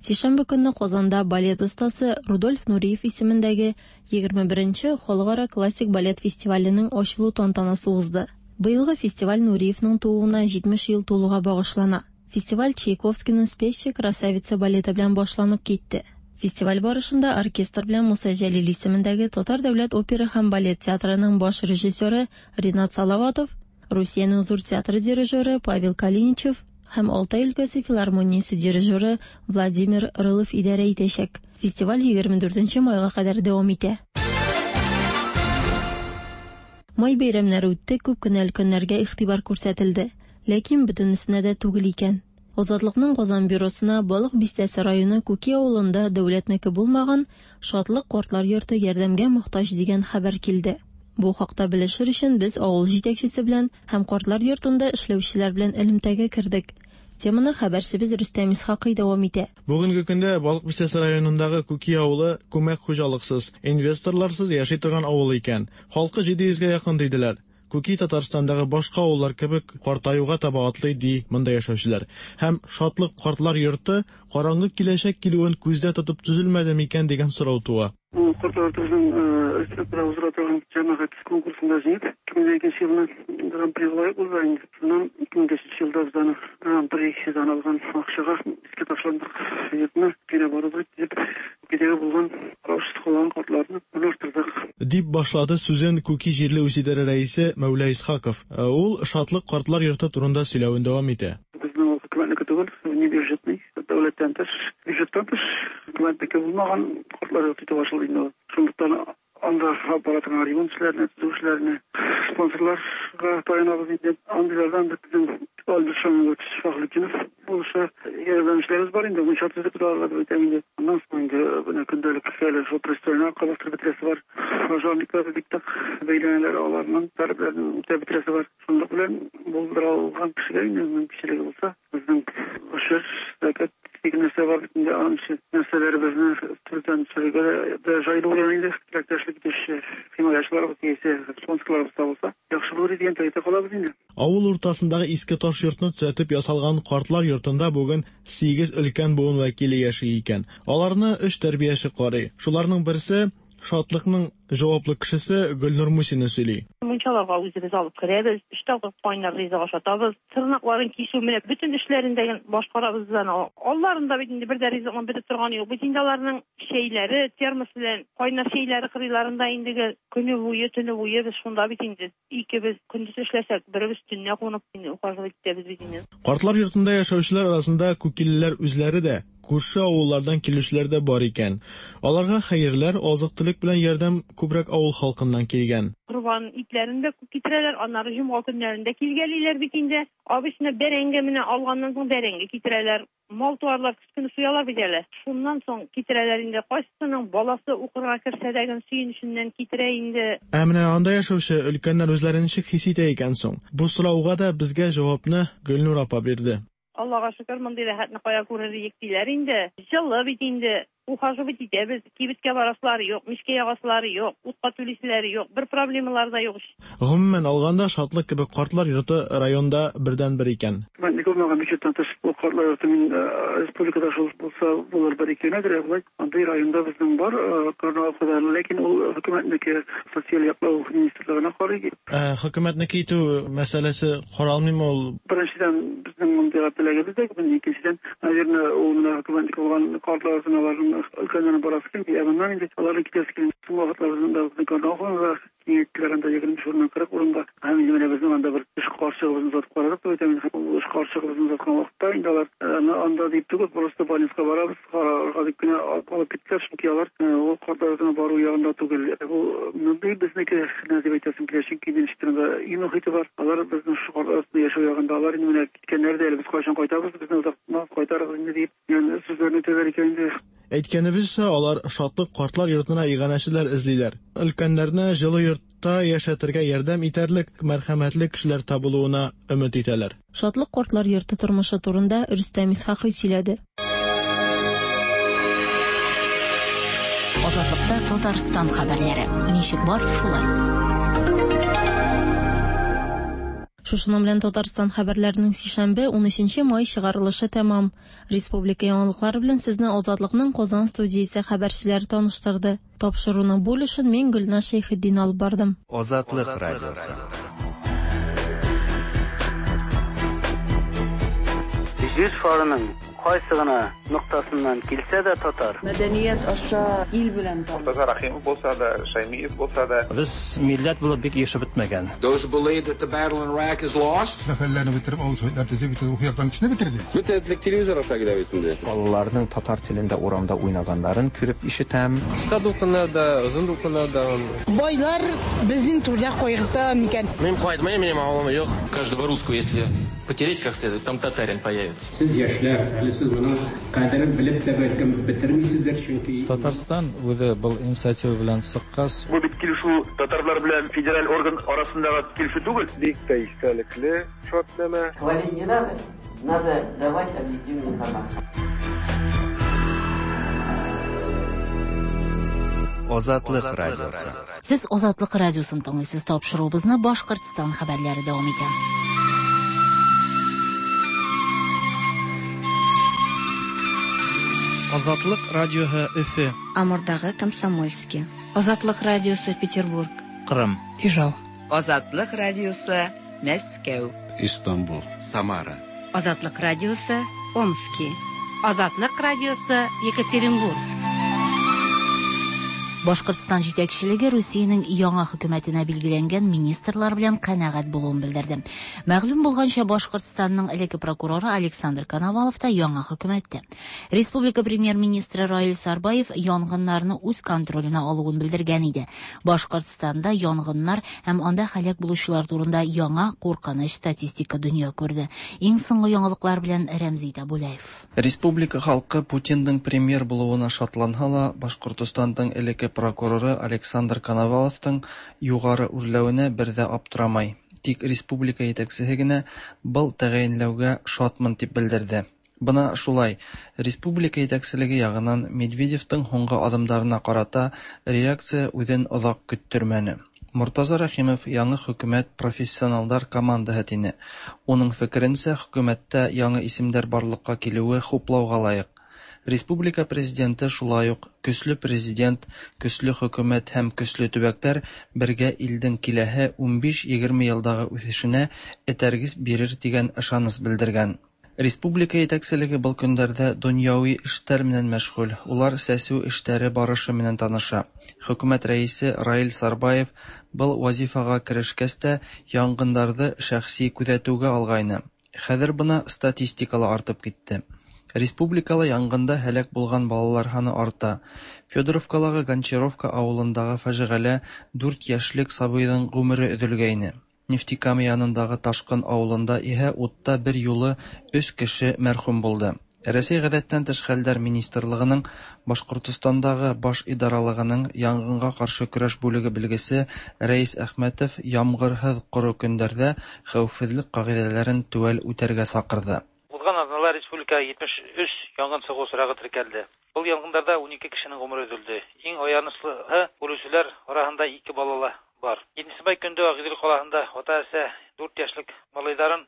Сишәмбе көнне Казанда балет остасы Рудольф Нуриев исемендәге 21нче халыкара классик балет фестиваленең ачылу тантанасы узды. Быелгы фестиваль Нуриевның тууына 70 ел тулуга багышлана. Фестиваль Чайковскийның «Спящая красавица» балеты белән башланып китте. Фестиваль барышында оркестр белән Муса Җәлил исемендәге Татар дәүләт опера һәм балет театрының баш режиссеры Ринат Салаватов, Русиянең зур театры дирижеры Павел Калиничев һәм Алтай өлкәсе филармониясе дирижеры Владимир Рылов идарә итәчәк. Фестиваль 24 майга кадәр дәвам итә. Май бәйрәмнәре үтте, күп кенә өлкәннәргә игътибар күрсәтелде. Ләкин бөтенесенә дә түгел икән. Азатлыкның Казан бюросына Балык Бистәсе районы Күки авылында дәүләтнеке булмаган Шатлык картлар йорты ярдәмгә мохтаҗ дигән хәбәр килде. Бу хакта белешер өчен без авыл җитәкчесе белән һәм картлар йортында эшләүчеләр белән элемтәгә кердек. Теманы хәбәрчебез Рөстәм Исхакый дәвам итә. Бүгенге көндә Балык Бистәсе районындагы Күки авылы күмәк хуҗалыксыз, инвесторларсыз яши торган авыл икән. Халкы 700 гә якын диделәр. Күки Татарстандагы башка авыллар кебек картаюга таба атлый, ди монда яшәүчеләр. Һәм Шатлык картлар йорты караңгы киләчәк килүен күздә тотып төзелмәде микән дигән сорау туа. Ул картлар йортыбызның республикада уздыра торган җәмәгать конкурсында җиңеп, 2002 елны Гран-прига лаек булды инде. Шуннан 2005 елда без аны Гран-придан алган акчага иске ташландык йортны переоборудовать итеп, Күкидәге булган караушсыз калган картларны урнаштырдык. Дип башлады сүзен Күки җирле үзидарә рәисе Мәүлә Исхаков. Ул Шатлык картлар йорты турында сөйләвен дәвам итә. Безнең ул хөкүмәтнеке түгел, внебюджетный, дәүләттән тыш, бюджеттан тыш, хөкүмәтнеке булмаган картлар йорты итеп ачылды инде ул. Шунлыктан анда алып бара торган ремонт эшләренә, төзү эшләренә спонсорларга таянабыз инде. Андыйлардан безнең Альберт Шамилович Фәхретдинов булыша. Ярдәмчеләребез бар инде, мунча төзеп аларга дип әйтәм инде. Аннан соң инде менә көндәлек әле шул пристройны кабаттырып бетерәсе бар. Пожарниклар бик нык бәйләнәләр, аларның таләпләрен үтәп бетерәсе бар. Шунлык белән булдыра алган кешегә инде мөмкинчелеге булса, безнең гошер, зәкят дигән нәрсә бар бит инде, аның өчен нәрсәләребезне төздән төшерергә дә җайлы булыр инде. Теләктәшлек итүче химаячыларыбыз яисә спонсорларыбыз табылса, яхшы булыр иде дигән теләктә калабыз инде. Авыл уртасындагы иске таш йортны төзәтеп ясалган картлар йортында бүген сигез өлкән буын вәкиле яши икән. Аларны өч тәрбияче карый. Шуларның берсе, Шатлыкның җаваплы кешесе Гөлнур Мусина сөйли. Мунчаларга үзебез алып керәбез, өч тапкыр кайнар ризык ашатабыз, тырнакларын кисү, менә бөтен эшләрен дә башкарабыз без аны. Алларында бит инде бер дә ризыкның бетеп торганы юк. Бит инде аларның чәйләре, термос белән кайнар чәйләре кырыйларында инде гел көне буе, төне буе без шунда бит инде. Икебез көндез эшләсәк, беребез төнлә кунып инде ухаживать итәбез бит инде. Картлар йортында яшәүчеләр арасында күкилеләр үзләре дә, күрше авыллардан килүчеләр дә бар икән. Аларга хәерләр, азык-төлек белән ярдәм күбрәк авыл халкыннан килгән. Корбан итләрен дә күп китерәләр, аннары җомга көннәрендә килгәлиләр бит инде. Обычно бәрәңге менә алганнан соң бәрәңге китерәләр. Мал-туарлар көз көне суялар бит әле. Шуннан соң китерәләр инде. Кайсысының баласы укырга керсә дә гел сөенеченнән китерә инде. Ә менә анда яшәүче өлкәннәр үзләрен ничек хис итә икән соң? Бу сорауга да безгә җавапны Гөлнур апа бирде. Аллага шөкер, мондый рәхәтне кая күрер идек диләр инде. Җылы бит инде. Ухаживать итәбез, кибеткә барасылары юк, мичкә ягасылары юк, утка түлиселәре юк, бер проблемалары да юк ич. Гомумән алганда, Шатлык кебек картлар йорты районда бердәнбер икән. Мәнлек булмаган бюджеттан тыш бу картлар йорты мин республикада шул булса булыр бер ике генәдер, ә болай андый районда безнең бар Карнавалкада, ләкин ул хөкүмәтнеке, социаль яклау министрлыгына карый. Ә хөкүмәтнеке итү мәсьәләсе каралмыймы ул? Беренчедән, безнең мондыйга теләгебез дә юк, икенчедән, Наверное, ул менә хөкүмәтнеке булган картлар йортына аларның өлкәннәрнең барасы килми, ә моннан инде аларның китәсе килми. Соңгы вакытлар безнең дә безнең Карнауховнада киңәйттеләр анда 25 урыннан 40 урынга. Һәм инде менә безнең анда бер эш карчыгыбызны озатып карадык дип әйтәм инде. Ул эш карчыгыбызны озаткан вакытта инде алар анда дип түгел, просто больницага барабыз, карарга дип кенә алып киттеләр, чөнки алар ул картлар йортына бару ягында түгел. Бу мондый безнеке генә дип әйтәсем килә, чөнки инде ничектер анда өй мохите бар. Алар безнең шушы картлар йортында яшәү ягында, алар инде менә Киткәннәр дә әле, без кайчан кайтабыз, безне озак кайтарыгыз инде дип, дигән сүзләрне әйтәләр икән инде. Әйткәнебезчә, алар Шатлык картлар йортына иганәчеләр эзлиләр. Өлкәннәрне җылы йортта яшәтергә ярдәм итәрлек мәрхәмәтле кешеләр табылуына өмет итәләр. Шатлык картлар йорты тормышы турында Рөстәм Исхакый сөйләде. Азатлыкта Татарстан хәбәрләре. Ничек бар, шулай. Шушының белән Татарстан хәбәрләренең сишәмбе, 13 май чыгарылышы тәмам. Республика яңалыклары белән сезне Азатлыкның Казан студиясе хәбәрчеләре таныштырды. Тапшыруның бу өлешен мин Гөлназ Шәйхетдин алып бардым. Азатлык радиосы. Җир шарының кайсы гына ноктасыннан килсә дә татар. Мәдәният аша ил белән таныш. Мортаза Рәхимов булса да, Шәймиев булса да. Без милләт булып бик ирешеп бетмәгән. Those who believe that the battle in Iraq is lost. Мәхәлләне бетереп, авыл советлар төзеп, бөтен рухи яктан кешене бетерде. Бөтен телевизор аша килә бит инде. Балаларның татар телендә урамда уйнаганнарын күреп ишетәм. Кыска дулкыннар да, озын дулкыннар да. Байлар безнең турда кайгырта микән? Мин кайтмыйм, минем авылым юк. Каждого русского, если потереть как следует, там татарин появится. Сез яшьләр, әле сез моның кадерен белеп тә бәлкем бетермисездер, чөнки Татарстан үзе был инициатива белән чыккач. Бу бит килешү татарлар белән федераль орган арасындагы килешү түгел. Бик тә истәлекле шартнамә. Хвалить не надо, надо давать объективную информацию. Азатлык радиосы. Сез Азатлык радиосын тыңлыйсыз. Тапшыруыбызны Башкортстан хәбәрләре дәвам итә. Азатлык радиоһы Өфе. Амурдагы Комсомольский. Азатлык радиосы Петербург. Кырым. Ижау. Азатлык радиосы Мәскәү. Истанбул. Самара. Азатлык радиосы Омски. Азатлык радиосы Екатеринбург. Башкортстан җитәкчелеге Русиянең яңа хөкүмәтенә билгеләнгән министрлар белән канәгать булуын белдерде. Мәгълүм булганча, Башкортстанның элекке прокуроры Александр Коновалов та яңа хөкүмәттә. Республика премьер-министры Раил Сарбаев янгыннарны үз контроленә алуын белдергән иде. Башкортстанда янгыннар һәм анда һәлак булучылар турында яңа куркыныч статистика дөнья күрде. Иң соңгы яңалыклар белән Рәмзи Табулаев. Республика халкы Путиндың премьер булуына шатланһа ла, Башкортостандың элекке прокуроры Александр Коноваловтың югары үрләвенә бер дә аптырамай. Тик республика җитәкчесе генә был тәгаенләүгә шатмын дип белдерде. Бына шулай, республика җитәкчелеге ягыннан Медведевтың һуңгы адымдарына карата реакция үзен озак көттермәне. Мортаза Рәхимов яңы хөкүмәт профессионалдар командаһы тине. Уның фекеренсә, хөкүмәттә яңы исемдәр барлыкка килүе хуплауга лаек. Республика президенты шулай ук көсле президент, көсле хөкүмәт һәм көсле төбәкләр бергә илдең киләһе 15-20 елдагы үсешенә этәргес бирер дигән ышаныч белдергән. Республика җитәкчелеге был көндәрдә дөньяви эшләр менән мәшгуль. Улар сәсү эшләре барышы менән таныша. Хөкүмәт рәисе Раил Сарбаев был вазифага керешкәс тә янгыннарны шәхси күзәтүгә алгайны. Хәзер бына статистика ла артып китте. Республикала янгында һәлак булган балалар һаны арта. Федоровкалагы Гончаровка авылындагы фаҗигалә 4 яшьлек сабыйның гомере өзелгәйне. Нефтекама янындагы Ташкын авылында иһә утта бер юлы 3 кеше мәрхүм булды. Рәсәй гадәттән тыш хәлләр министрлыгының Башкортостандагы баш идаралыгының янгынга каршы көрәш бүлеге белгесе Рәис Әхмәтов ямгырһыҙ ҡоро көндәрҙә хәүефһеҙлек ҡағиҙәләрен теүәл үтәргә саҡырҙы. Узган атнала республикада 73 янгын чыгу очрагы теркәлде. Был янгындарда 12 кешенең гомере өзелде. Иң аянычлыһы үлүчеләр арасында 2 бала бар. 7 май көндө Агыйдел калаһында ата-әсә 4 яшьлек малайларын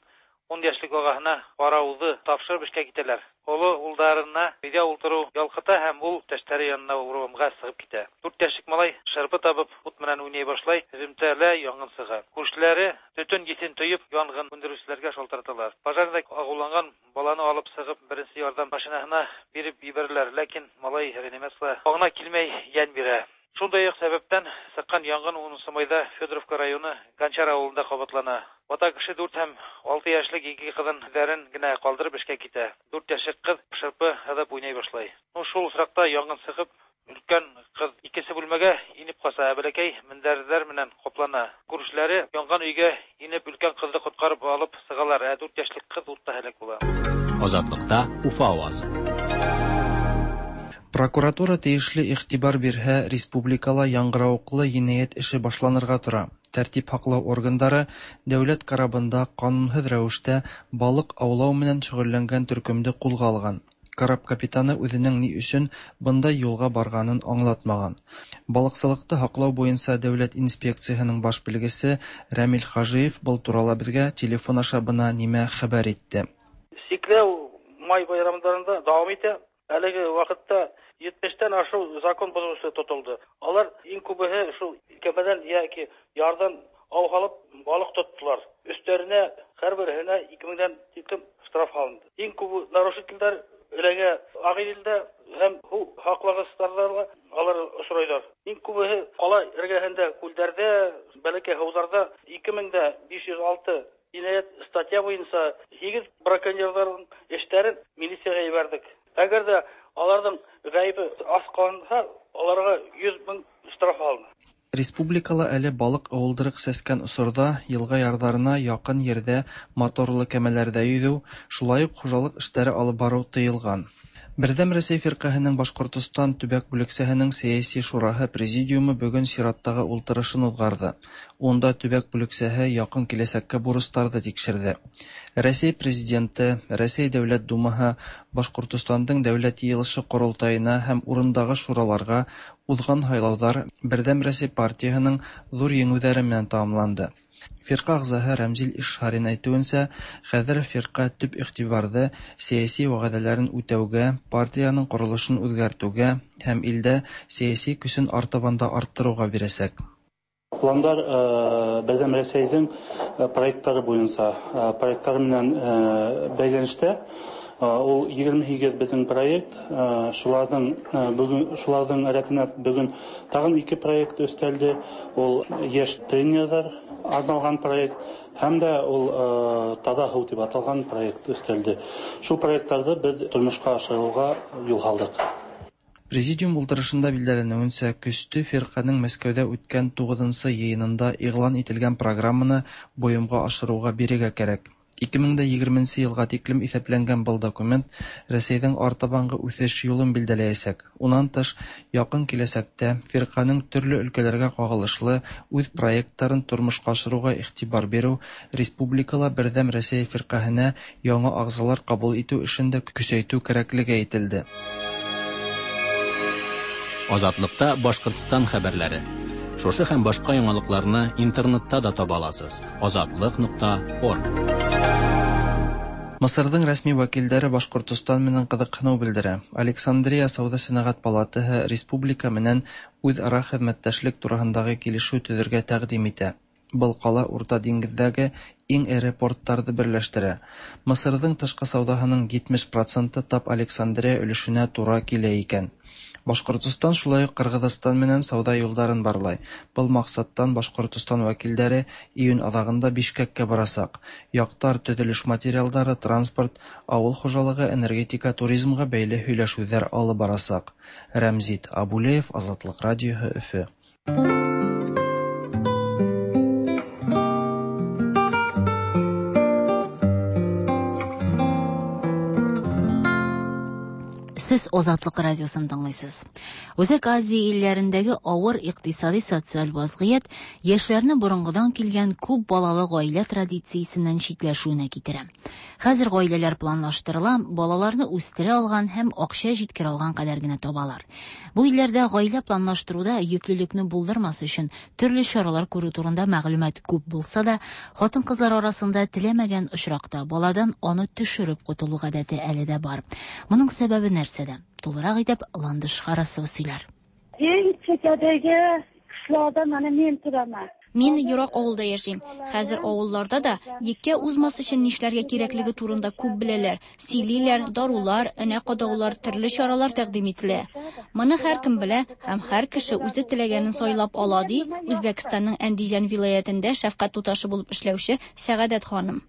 10 яшьлек агаһына карауды тапшырып эшкә китәләр. Олы улдарына өйдә ултыру ялкыта һәм ул иптәшләре янына урамга чыгып китә. 4 яшьлек малай шырпы табып ут менән уйный башлай, һөземтәлә янгын чыга. Күршеләре төтен исен тоеп янгын сүндерүчеләргә шалтыраталар. Пожарда агуланган баланы алып чыгып беренче ярдәм машинаһына биреп җибәрәләр, ләкин малай реанимация аңына килмәй ян бирә. Шундай ук сәбәптән чыккан янгын 10 майда Федоровка районы Гончар авылында кабатлана. Ата кеше 4 һәм 6 яшьлек ике кызын үзләрен генә калдырып эшкә китә. 4 яшьлек кыз шырпы һыдып уйный башлай. Ну шул очракта янгын чыгып, өлкән кыз икенче бүлмәгә инеп калса, ә бәләкәй мендәрләр менән каплана. Күршеләре янган өйгә инеп өлкән кызны коткарып алып чыгалар, ә 4 яшьлек кыз утта һәлак була. Азатлыкта Уфа авазы. Прокуратура тиешле игътибар бирһә, республикала яңгырауыклы енәйәт эше башланырга тора. Тәртип һаклау органдары дәүләт корабында канунһыҙ рәүештә балык аулау менән шөгыльләнгән төркөмдө кулга алган. Кораб капитаны үҙенең ни өсөн бындай юлға барғанын аңлатмаған. Балыҡсылыҡты һаҡлау буйынса дәүләт инспекцияһының баш белгесе Рәмил Хажиев был турала беҙгә телефон аша бына нимә хәбәр итте. Сикләү май байрамдарында дауам итә. Әлеге ваҡытта 70-тән ашыу закон боҙоусы тотолдо. Алар иң күбеһе шул кәмәдән йәки ярҙан ау һалып балыҡ тоттолар. Өҫтәренә һәр береһенә 2000-дән тиклем штраф һалынды. Иң күбе нарушительдәр эләгә Ағиҙелдә һәм һыу һаҡлағыстарҙа алар осрайҙар. Иң күбеһе ҡала эргәһендә, күлдәрҙә, бәләкәй һыуҙарҙа 2506 енәйәт статья буйынса 8 браконьерҙарҙың эштәрен милицияға ебәрҙек. Әгәр ҙә аларҙың ғәйебе асҡланһа, аларға 100 мең штраф алына. Республикала әле балыҡ ыуылдырыҡ сәскән осорҙа йылға ярҙарына яҡын ерҙә моторлы кәмәләрҙә йөҙөү, шулай уҡ хужалыҡ эштәре алып барыу тыйылған. Бердәм Рәсәй фиркаһенең Башкортостан төбәк бүлексәһенең сәяси шураһы президиумы бөгөн сираттағы ултырышын уҙғарҙы. Унда төбәк бүлексәһе яҡын киләсәккә бурыстарҙы тикшерҙе. Рәсәй Президенты, Рәсәй Дәүләт Думаһы, Башҡортостандың Дәүләт Йыйылышы Ҡоролтайына һәм урындағы шураларға уҙған һайлауҙар Берҙәм Рәсәй партияһының ҙур еңеүҙәре менән тамамланды. Фирҡә ағзаһы Рәмзил Ишһарин әйтеүенсә, хәҙер фирҡә төп иғтибарҙы сәйәси вәғәҙәләрен үтәүгә, партияның ҡоролошон үҙгәртеүгә һәм илдә сәйәси көсөн артабан да арттырыуға бирәсәк. Пландар Берҙәм Рәсәйҙең проекттары буйынса, проекттары менән бәйләнештә. Ул 28 беҙҙең проект, шуларҙың рәтенә бөгөн тағын 2 проект өҫтәлде. Ул йәш тренерҙар арналған проект һәм дә ул таҙа һыу тип аталған проект өҫтәлде. Шул проекттарҙы беҙ тормошҡа ашырыуға юл һалдыҡ. Президиум ултырышында билдәләнеүенсә, көстө фирҡәнең Мәскәүҙә үткән 9-нсы йыйынында иғлан ителгән программаны бойомға ашырыуға бирергә кәрәк. 2020 йылға тиклем иҫәпләнгән был документ Рәсәйҙең артабанғы үҫеш юлын билдәләйәсәк. Унан тыш, яҡын киләсәктә фирҡәнең төрлө өлкәләргә ҡағылышлы үҙ проекттарын тормошҡа ашырыуға иғтибар биреү, республикала Берҙәм Рәсәй фирҡәһенә яңы ағзалар ҡабул итеү эшен дә көсәйтеү кәрәклеге әйтелде. Азатлыкта Башҡортостан хәбәрләре. Шушы һәм башҡа яңалыҡларны интернетта да таба аласыз. Азатлык.орг. Мысырҙың рәсми вәкилдәре Башҡортостан менән ҡыҙыҡһыныу белдерә. Александрия сауҙа-сәнәғәт палатаһы республика менән үҙ-ара хеҙмәттәшлек тураһындағы килешеү төҙөргә тәҡдим итә. Был ҡала Урта диңгеҙҙәге иң эре порттарҙы берләштерә. Мысырҙың тышҡы сауҙаһының 70% тап Александрия өлөшөнә тура килә икән. Башҡортостан шулай уҡ Ҡырғыҙстан менән сауҙа юлдарын барлай. Был маҡсаттан Башҡортостан вәкилдәре июнь аҙағында Бишкәккә барасаҡ. Яҡтар төҙөлөш материалдары, транспорт, ауыл хужалығы, энергетика, туризмға бәйле һөйләшеүҙәр алып барасаҡ. Рәмзит Абулеев, Азатлыҡ радиоһы, Өфө. Сез Азатлык радиосын тыңлыйсыз. Үзәк Азия илләрендәге авыр икътисади социаль вазгыять яшьләрне борынгыдан килгән күп балалы гаилә традициясеннән читләшүенә китерә. Хәзер гаиләләр планлаштырыла, балаларны үстерә алган һәм акча җиткерә алган кадәр генә табалар. Бу илләрдә гаилә планлаштыруда йөклелекне булдырмас өчен төрле чаралар күрү турында мәгълүмат күп булса да, хатын-кызлар арасында теләмәгән очракта баладан аны төшереп котылу гадәте әле дә бар. Моның сәбәбе нәрсәдә? Тулырак итеп Ландыш Харасова сөйләр. Иң чекәдәге кышлауда менә мин тораман. Мин ерак авылда яшим. Хәзер авылларда да еккә узмас өчен нишләргә кирәклеге турында күп беләләр. Сөйлиләр, дарулар, энә кадаулар, төрле чаралар тәкъдим ителә. Моны һәркем белә һәм һәр кеше үзе теләгәнен сайлап ала, ди Үзбәкстанның Әндиҗан вилаятендә шәфкать туташы булып эшләүче Сәгадәт ханым.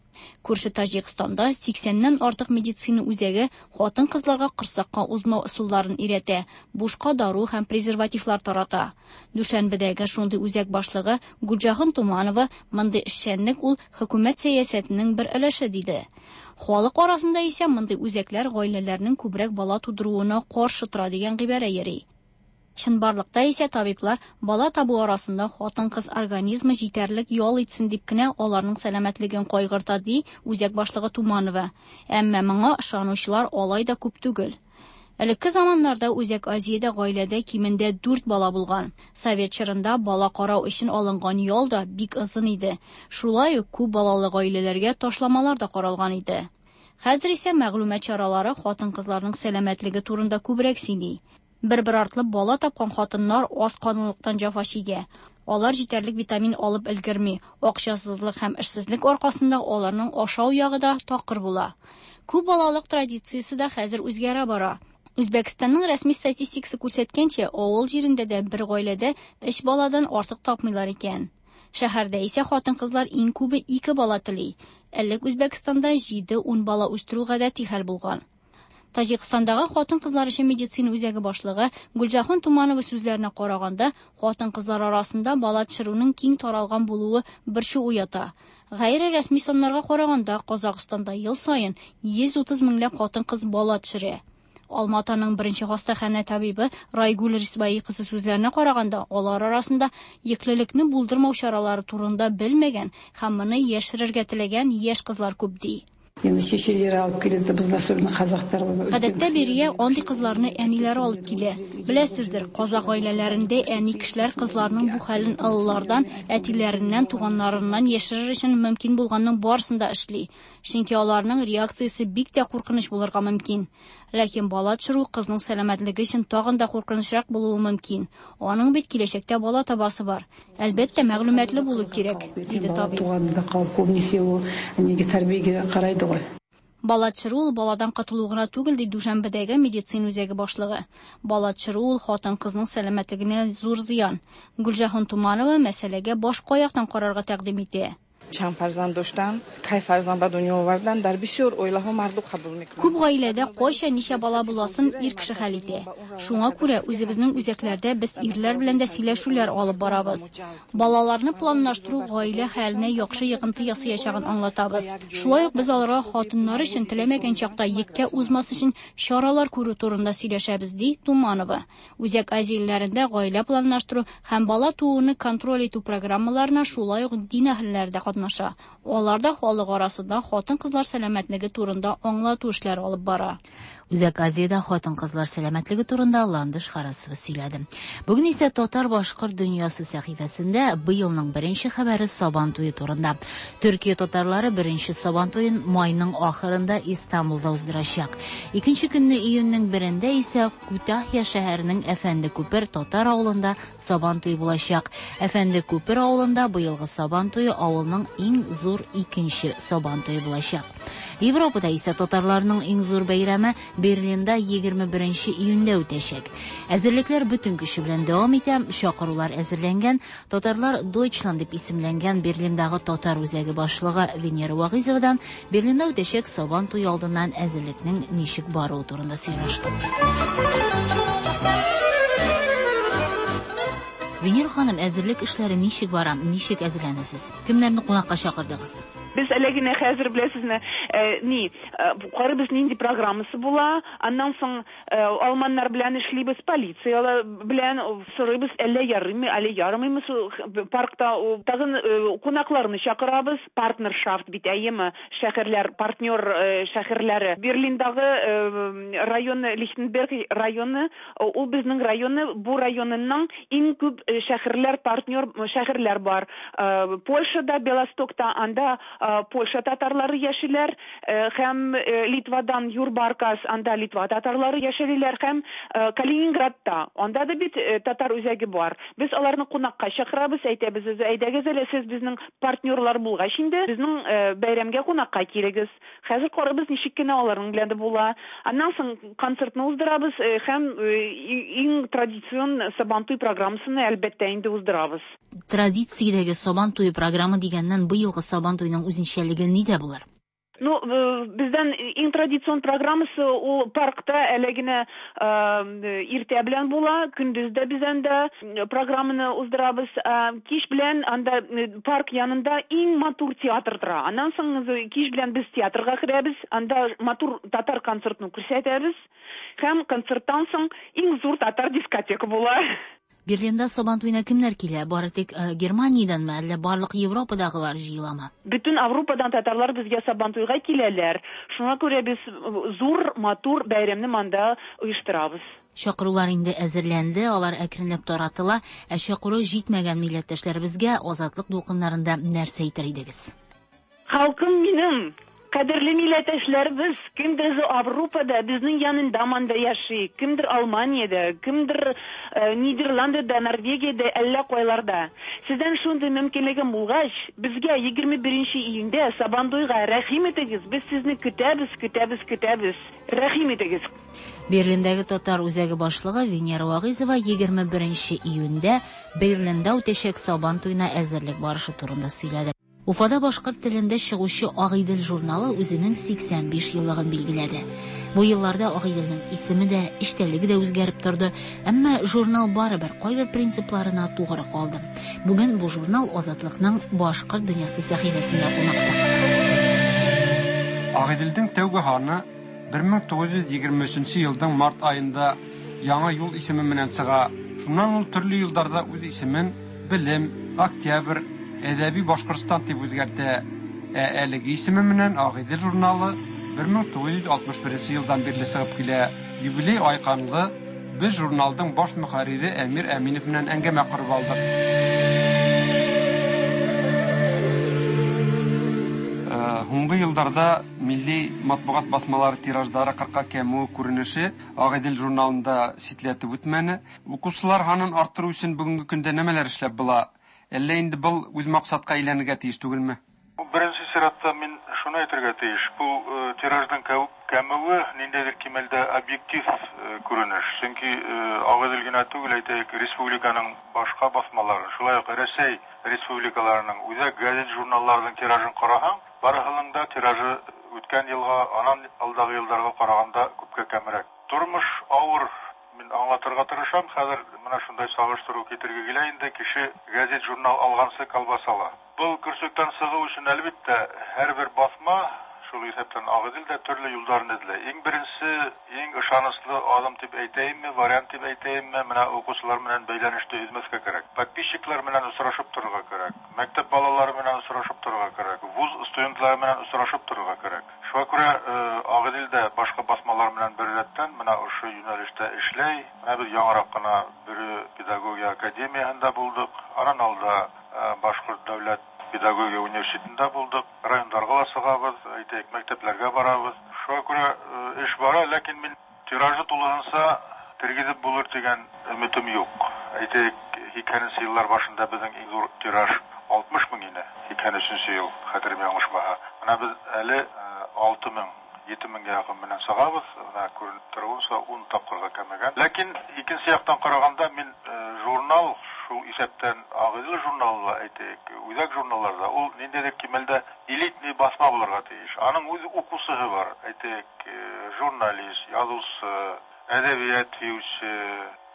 Күрше Таҗикстанда 80-нән артык медицина үзәге хатын-кызларга корсакка узмау ысулларын өйрәтә, бушка дару һәм презервативлар тарата. Дүшәнбедәге шундый үзәк башлыгы Гүлҗаһан Туманова мондый эшчәнлек ул хөкүмәт сәясәтенең бер өлеше диде. Халык арасында исә мондый үзәкләр гаиләләрнең күбрәк бала тудыруына каршы тора дигән гыйбарә йөри. Чынбарлыкта исә табиблар бала табу арасында хатын-кыз организмы җитәрлек ял итсен дип кенә аларның сәламәтлеген кайгырта, ди үзәк башлыгы Туманова. Әмма моңа ышанучылар алай да күп түгел. Элекке заманнарда Үзәк Азиядә гаиләдә кимендә 4 бала булган. Совет чорында бала карау өчен алынган ял да бик озын иде. Шулай ук күп балалы гаиләләргә ташламалар да каралган иде. Хәзер исә мәгълүмат чаралары хатын-кызларның сәламәтлеге турында күбрәк сөйли. Бер-бер артлы бала тапкан хатыннар аз канлылыктан җәфа чигә. Алар җитәрлек витамин алып өлгерми. Акчасызлык һәм эшсезлек аркасында аларның ашау ягы да такыр була. Күп балалык традициясе дә хәзер үзгәрә бара. Үзбәкстанның рәсми статистикасы күрсәткәнчә, авыл җирендә дә бер гаиләдә 3 баладан артык тапмыйлар икән. Шәһәрдә исә хатын-кызлар иң күбе 2 бала тели. Элек Үзбәкстанда 7-10 бала үстерү гадәти хәл булган. Таҗикстандагы хатын-кызлар өчен медицина үзәге башлыгы Гүлҗаһан Туманова сүзләренә караганда, хатын-кызлар арасында бала төшерүнең киң таралган булуы борчу уята. Гайре рәсми саннарга караганда, Казакъстанда ел саен 130 меңләп хатын-кыз бала төшерә. Алма-Атаның беренче хастаханә табибы Райгүл Рисбаи кызы сүзләренә караганда, алар арасында йөклелекне булдырмау чаралары турында белмәгән һәм моны яшерергә теләгән яшь кызлар күп ди. Енді шешелері алып келеді бізді, особенно қазақтар. Гадәттә бирегә андый кызларны әниләре алып килә. Беләсездер, казакъ гаиләләрендә әни кешеләр кызларының бу хәлен олылардан, әтиләреннән, туганнарыннан яшерер өчен мөмкин булганның барысын да эшли. Чөнки аларның реакциясе бик тә куркыныч булырга мөмкин. Ләкин бала төшерү кызның сәламәтлеге өчен тагын да куркынычрак булуы мөмкин. Аның бит киләчәктә бала табасы бар. Әлбәттә, мәгълүматлы булу кирәк, диде табиб. Туғанында қалып, көбінесе ол неге, тәрбиеге қарайды ғой. Бала төшерү ул баладан котылу гына түгел, ди Дүшәнбедәге медицина үзәге башлыгы. Бала төшерү ул хатын-кызның сәламәтлегенә зур зыян. Гөлҗаһан Туманова мәсьәләгә башка яктан карарга тәкъдим итә. Чанд фарзанд доштан, кай фарзанд ба дунё овардан, дар бисёр оилаҳо марду қабул мекунанд. Күп гаиләдә кайчан ничә бала буласын ир кеше хәл итә. Шуңа күрә үзебезнең үзәкләрдә без ирләр белән дә сөйләшүләр алып барабыз. Балаларны планлаштыру гаилә хәленә яхшы йогынты ясаячагын аңлатабыз. Шулай ук без аларга хатыннар өчен теләмәгән чакта йөккә узмас өчен чаралар күрү турында сөйләшәбез, ди Туманова. Үзәк Азия илләрендә гаилә планлаштыру һәм бала тууны контроль итү программаларына шулай ук дин әһелләре дә катнаша. Алар да халык арасында хатын-кызлар сәламәтлеге турында аңлату эшләре алып бара. Үзәк Азиядә хатын-кызлар сәламәтлеге турында Ландыш Харасова сөйләде. Бүген исә Татар-башкорт дөньясы сәхифәсендә быелның беренче хәбәре Сабан туе турында. Төркия татарлары беренче Сабан туен майның ахырында Истанбулда уздырачак. Икенче көнне июньнең берендә исә Күтахья шәһәренең Әфәнде Күпер татар авылында Сабан туе булачак. Әфәнде Күпер авылында быелгы Сабан туе авылның иң зур икенче Сабан туе булачак. Европада исә татарларның иң зур бәйрәме Берлинда 21 июньдә үтәчәк. Әзерлекләр бөтен көче белән дәвам итә, чакырулар әзерләнгән. Татарлар Deutschland дип исемләнгән Берлиндагы татар үзәге башлыгы Венера Вагыйзовадан Берлинда үтәчәк Сабан туе алдыннан әзерлекнең ничек баруы турында сөйләштек. Венера ханым, әзерлек эшләре ничек бара? Ничек әзерләнәсез? Кемнәрне кунакка чакырдыгыз? Без әле генә хәзер беләсезме, ни, карыйбыз нинди программасы була, аннан соң алманнар белән эшлибез, полиция белән сорыйбыз, әллә ярыймы, әллә ярамыймы паркта, тагын кунакларны чакырабыз, партнершафт бит әйеме, шәһәрләр, партнер шәһәрләре. Берлиндагы районы, Лихтенберг районы, ул безнең районы, бу районының иң күп шәһәрләр, партнер шәһәрләр бар. Польшада, Белостокта, анда Польша татарлары яшиләр, һәм Литвадан Юрбаркас, анда Литва татарлары яшиләр, һәм Калининградта, анда да бит татар үзәге бар. Без аларны кунакка чакырабыз, әйтәбез, әйдәгез әле сез безнең партнерлар булгач инде, безнең бәйрәмгә кунакка килегез. Хәзер карыйбыз ничек кенә аларның белән дә була. Аннан соң концертны уздырабыз һәм иң традицион Сабантуй программасын әлбәттә инде уздырабыз. Традициядәге Сабан туе программа дигәннән быелгы Сабан туеның үзенчәлеге нидә булыр? Ну, бездән иң традицион программасы ул паркта әле генә иртә белән була, көндез дә без анда программаны уздырабыз. Кич белән анда парк янында иң матур театр тора. Аннан соң кич белән без театрга керәбез, анда матур татар концертын күрсәтәбез. Һәм концерттан соң иң зур татар дискотека була. Берлинда Сабан туена кемнәр килә? Бары тик Германиядәнме, әллә барлык Европадагылар җыеламы? Бөтен Европадан татарлар безгә Сабан туйга киләләр. Шуңа күрә без зур, матур бәйрәмне монда оештырабыз. Чакырулар инде әзерләнде, алар әкренләп таратыла. Ә чакыру җитмәгән милләттәшләребезгә Азатлык дулкыннарында нәрсә әйтер идегез? Халкым минем, кадерле милләттәшләребез, кемдер Европада, безнең янында монда яши, кемдер Алманиядә, кемдер Нидерландыда, Норвегиядә, әллә кайларда. Сездән шундый мөмкинлегем булгач, безгә 21 июньдә Сабантуйга рәхим итегез, без сезне көтәбез, көтәбез, көтәбез. Рәхим итегез. Берлиндәге татар үзәге башлыгы Венера Вагыйзова 21 июньдә Берлинда үтәчәк Сабан туена әзерлек барышы турында сөйләде. Уфада башкорт телендә чыгучы Агыйдел журналы үзенең 85 еллыгын билгеләде. Бу елларда Агыйделнең исеме дә, эчтәлеге дә үзгәреп торды, әмма журнал барыбер кайбер принципларына тугры калды. Бүген бу журнал Азатлыкның башкорт дөньясы сәхифәсендә кунакта. Агыйделдең тәүге һаны 1923 елның март аенда Яңа юл исеме белән чыга. Шуннан ул төрле елларда үз исемен Белем, Октябрь, Әдәби Башкортстан дип үзгәртә. Ә әлеге исеме белән Агыйдел журналы 1961 елдан бирле чыгып килә. Юбилей айканлы без журналның баш мөхәррире Әмир Әминев белән әңгәмә корып алдык. Һуңгы елларда милли матбугат басмалары тираждары 40-ка кәмүе күренеше Агыйдел журналында читләтеп үтмәне. Укучылар һанын арттыру өчен бүгенге көндә нәмәләр эшләп була? Әллә инде был үз максатка әйләнергә тиеш түгелме? Беренче чиратта мин шуны әйтергә тиеш. Бу тиражның кәмүе ниндәйдер кимәлдә объектив күренеш. Чөнки Агыйдел генә түгел, әйтәйек, республиканың башка басмалары, шулай ук Рәсәй республикаларының үзәк газет журналларының тиражын карасаң, барысының да тиражы үткән елга, анан алдагы елларга караганда күпкә кәмрәк. Тормыш авыр, мин аңлатырга тырышам. Хәзер менә шундай сагыштыру китерге килә инде, кеше газет журнал алгансы колбаса ала. Был көрсөктән чыгу өчен әлбәттә һәрбер басма, шул исәптән Агыйдел дә төрле юлларын эзләй. Иң беренче, иң ышанычлы адым дип әйтәйемме, вариант дип әйтәйемме, менә укучылар белән бәйләнеште өзмәскә кирәк. Подписчиклар белән очрашып торырга кирәк. Мәктәп балалары белән очрашып торырга кирәк. Вуз студентлары белән очрашып торырга кирәк. Шуңа күрә Агыйдел дә башка басмалар белән беррәттән менә ошо юнәлештә эшләй. Менә без яңарак кына Бөре педагогия академиясендә булдык. Анан алда Башкорт дәүләт педагогия университетында булдык. Райондарга ла чыгабыз, әйтәйек, мәктәпләргә барабыз. Шуңа күрә эш бара, ләкин мин тиражы тулысынча тергезеп булыр дигән өметем юк. Әйтәйек, 80 еллар башында безнең иң зур тираж 60 мең иде. 83 ел, хәтерем ялгышмаса. Менә без әле 6 мең, 7 меңгә якын белән чыгабыз. Менә күренеп торуынча 10 тапкырга кәмегән. Ләкин икенче яктан караганда мин журнал, шул исәптән Агыйдел журналы да әйтәйек, үзәк журналларда ул ниндәйдер кимәлдә элитный басма булырга тиеш. Аның үз укучысы бар, әйтәйек, журналист, язучы, әдәбият сөюче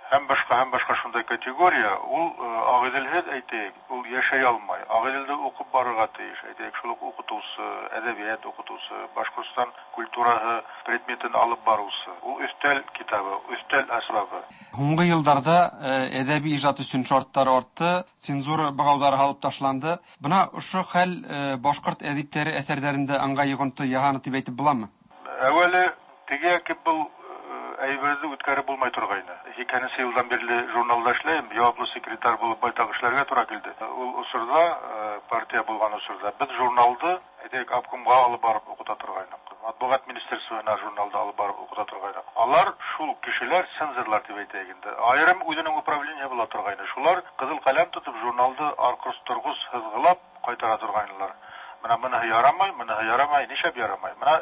һәм башка шундай категория. Ул Агыйделһез әйтәйек, ул яшәй алмай. Агыйделдә укып барырга тиеш, әйтәйек, шул ук укытучы, әдәбият укытучы, Башкортстан культурасы предметын алып баручы. Ул өстәл китабы, өстәл әсбабы. Һуңгы елларда әдәби иҗат өчен шартлар артты, цензура богаулары алып ташланды. Бына ошо хәл башкорт әдипләре әсәрләрендә аңга йогынты яһаны дип әйтеп буламы? Әүвәле теге яки был әйберҙе үткәреп булмай торғайны. 80 елдан бирле журналда эшләйем, яуаплы секретарь булып байтак эшләргә тура килде. Ул осорҙа, партия булған осорҙа беҙ журналды, әйтәйек, обкомға алып барып уҡыта торғайныҡ. Матбуғат министерствоһына журналды алып барып уҡыта торғайныҡ. Алар шул кешеләр цензорлар тип әйтәйек инде. Айырым үҙенең управление була торғайны. Шулар ҡыҙыл ҡәләм тотоп журналды арҡырыс-торғоҙ һыҙғылап ҡайтара торғайнылар. Бына быныһы ярамай, быныһы ярамай, нишләп ярамай? Бына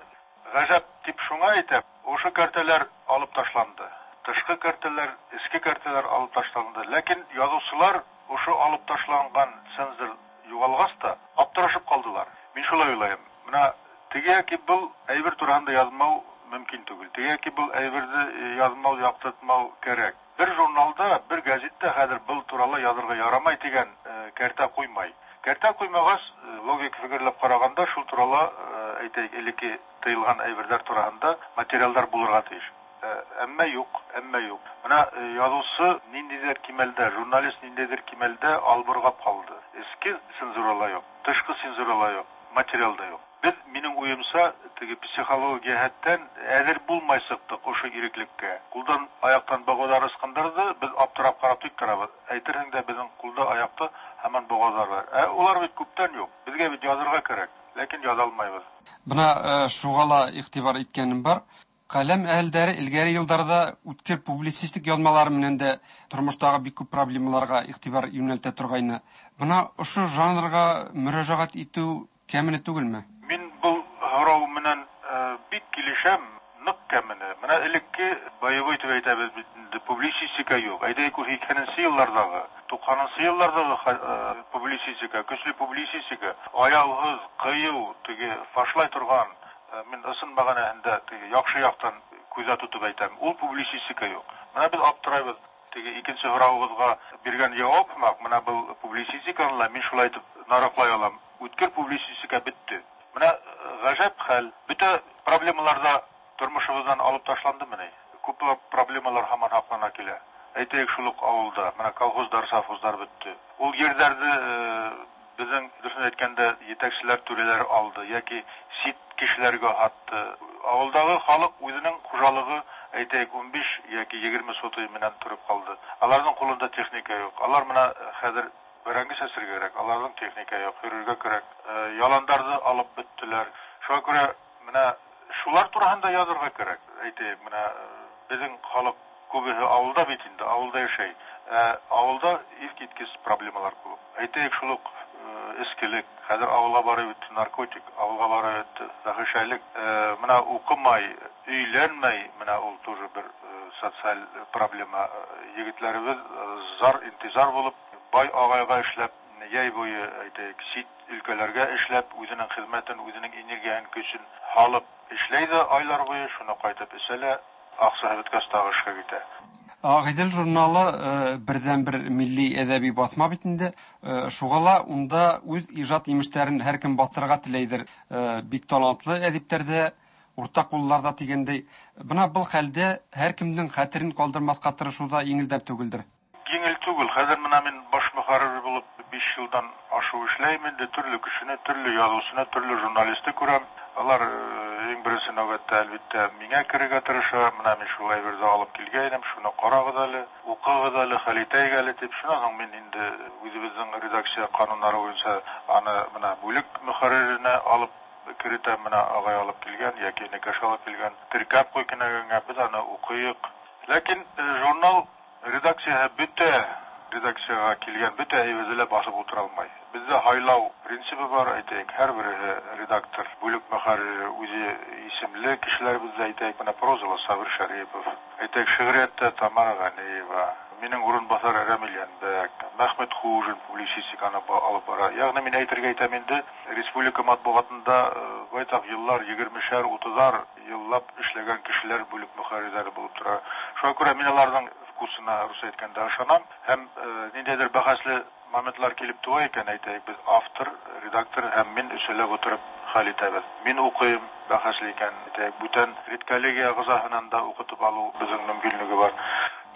ғәжәп тип шуңа әйтәм, ошо кәртәләр алып ташланды. Тышҡы кәртәләр, эске кәртәләр алып ташланды. Ләкин яҙыусылар ошо алып ташланған цензор юғалғас та аптырашып ҡалдылар. Мин шулай уйлайым. Бына теге яки был әйбер тураһында яҙмау мөмкин түгел. Теге яки был әйберҙе яҙмау, яҡтыртмау кәрәк. Бер журналда, бер гәзиттә хәҙер был турала яҙырға ярамай тигән кәртә ҡуймай. Кәртә ҡуймағас, логик фекерләп ҡарағанда, шул турала, әйтәйек, элекке тыйылған әйберҙәр тураһында материалдар булырға тейеш. Әммә юҡ, әммә юҡ. Бына яҙыусы ниндәйҙер кимәлдә, журналист ниндәйҙер кимәлдә албырғап ҡалды. Эске цензура ла юҡ, тышҡы цензура ла юҡ, материал да юҡ. Беҙ, минең уйымса, теге психология йәһәттән әҙер булмай сыҡтыҡ ошо иреклеккә. Ҡулдан, аяҡтан боғауҙар ысҡындырҙы, беҙ аптырап ҡарап тик торабыҙ. Әйтерһең дә, беҙҙең ҡулда, аяҡта һаман боғауҙар бар. Ә улар бит күптән юҡ. Беҙгә бит яҙырға кәрәк, ләкин яҙа алмайбыҙ. Бына шуға ла иғтибар иткәнем бар. Ҡәләм әһелдәре элгәре йылдарҙа үткер публицистик яҙмалары менән дә тормоштағы бик күп проблемаларға иғтибар йүнәлтә торғайны. Бына ошо жанрға мөрәжәғәт итеү кәмене түгелме? Мин был һорау менән бик килешәм, ныҡ кәмене. Бына элекке боевой тип әйтәбеҙ бит инде, публицистика юҡ. Әйтәйек, ул 80 йылларҙағы, 90 йылларҙағы публицистика, көслө публицистика, аяуһыҙ, ҡыйыу, теге фашлай торған, мин ысын мәғәнәһендә теге яҡшы яҡтан күҙҙә тотоп әйтәм, ул публицистика юҡ. Бына беҙ аптырайбыҙ. Теге икенсе һорауығыҙға биргән яуап һымаҡ, бына был публицистиканы ла мин шулай итеп нараҡлай алам. Үткер публицистика бөттө. Бына ғәжәп хәл, бөтә проблемаларҙа тормышыбыздан алып ташландымыни? Күпләп проблемалар һаман һаклана килә. Әйтәйек, шул ук авылда, менә колхозлар, совхозлар бетте. Ул җирләрне безнең, дөресен әйткәндә, җитәкчеләр, түрәләр алды яки чит кешеләргә һатты. Авылдагы халык үзенең хуҗалыгы, әйтәйек, 15 яки 20 сотый менән торып калды. Аларның кулында техника юк. Алар менә хәзер бәрәңге чәчәргә кирәк, аларның техника юк, йөрергә кирәк. Яландарны алып беттеләр. Шуңа күрә менә шулар турында язырга кирәк. Әйтәйек, менә безнең халык күбесе авылда бит инде, авылда яшәй. Ә авылда искиткеч проблемалар күп. Әйтәйек, шул ук эскелек, хәзер авылга барып бетте наркотик, авылга барып бетте фәхишәлек. Менә укымай, өйләнмәй, менә ул тоже бер социаль проблема. Егетләребез зар интизар булып, бай агайга эшләп, яй буе, әйтәйек, чит өлкәләргә эшләп, үзенең хезмәтен, үзенең энергияһен, көчен халык эшләй дә айлар буе, шуны кайтып эчә лә, акча беткәч тагы эшкә китә. Агыйдел журналы бердән-бер милли әдәби басма бит инде. Шуңа ла унда үз иҗат имешләрен һәркем бастырырга теләйдер. Бик талантлы әдипләр дә, урта куллар да дигәндәй. Бына был хәлдә һәркемнең хәтерен калдырмаска тырышу да җиңелдән түгелдер. Җиңел түгел. Хәзер менә мин баш мөхәррир булып 5 елдан ашу эшләйм инде. Төрле кешене, төрле язучыны, төрле журналисты күрәм. Алар иң беренче нәүбәттә әлбәттә миңа керергә тырыша. Менә мин шул әйберне алып килгәнем, шуны карагыз әле, укыгыз әле, хәл итәйек әле дип. Шуннан соң мин инде үзебезнең редакция кануннары буенча аны менә бүлек мөхәрриренә алып керетәм, менә агай алып килгән яки энекәш алып килгән, теркәп куй кенәгәнгә, без аны укыйк. Ләкин журнал редакцияһе бөтә редакциягә килгән бөтә әйберне лә басып утыра алмай. Бездә һайлау принцибы бар, әйтәйек, һәрбере редактор, бүлек мөхәррире үзе исемле кешеләр бездә, әйтәйек, менә прозалы Сабир Шәрипов, әйтәйек, шигърияттә Тамара Ганиева, минең урынбасар Рәмил Янбәк, Мәхмәт Хуҗин публицистиканы алып бара. Ягъни мин әйтергә әйтәм инде, республика матбугатында байтак еллар, 20-шәр, 30-ар еллап эшләгән кешеләр бүлек мөхәррирләре булып тора. Шуңа күрә мин аларның вкусына, рус әйткәндә, ышанам һәм ниндәйдер бәхәсле моментлар килеп туа икән, әйтәйек, без автор, редактор һәм мин өсәләп утырып хәл итәбез. Мин укыйм, бәхәсле икән, әйтәйек, бүтән редколлегия әгъзаһынан да укытып алу безнең мөмкинлеге бар.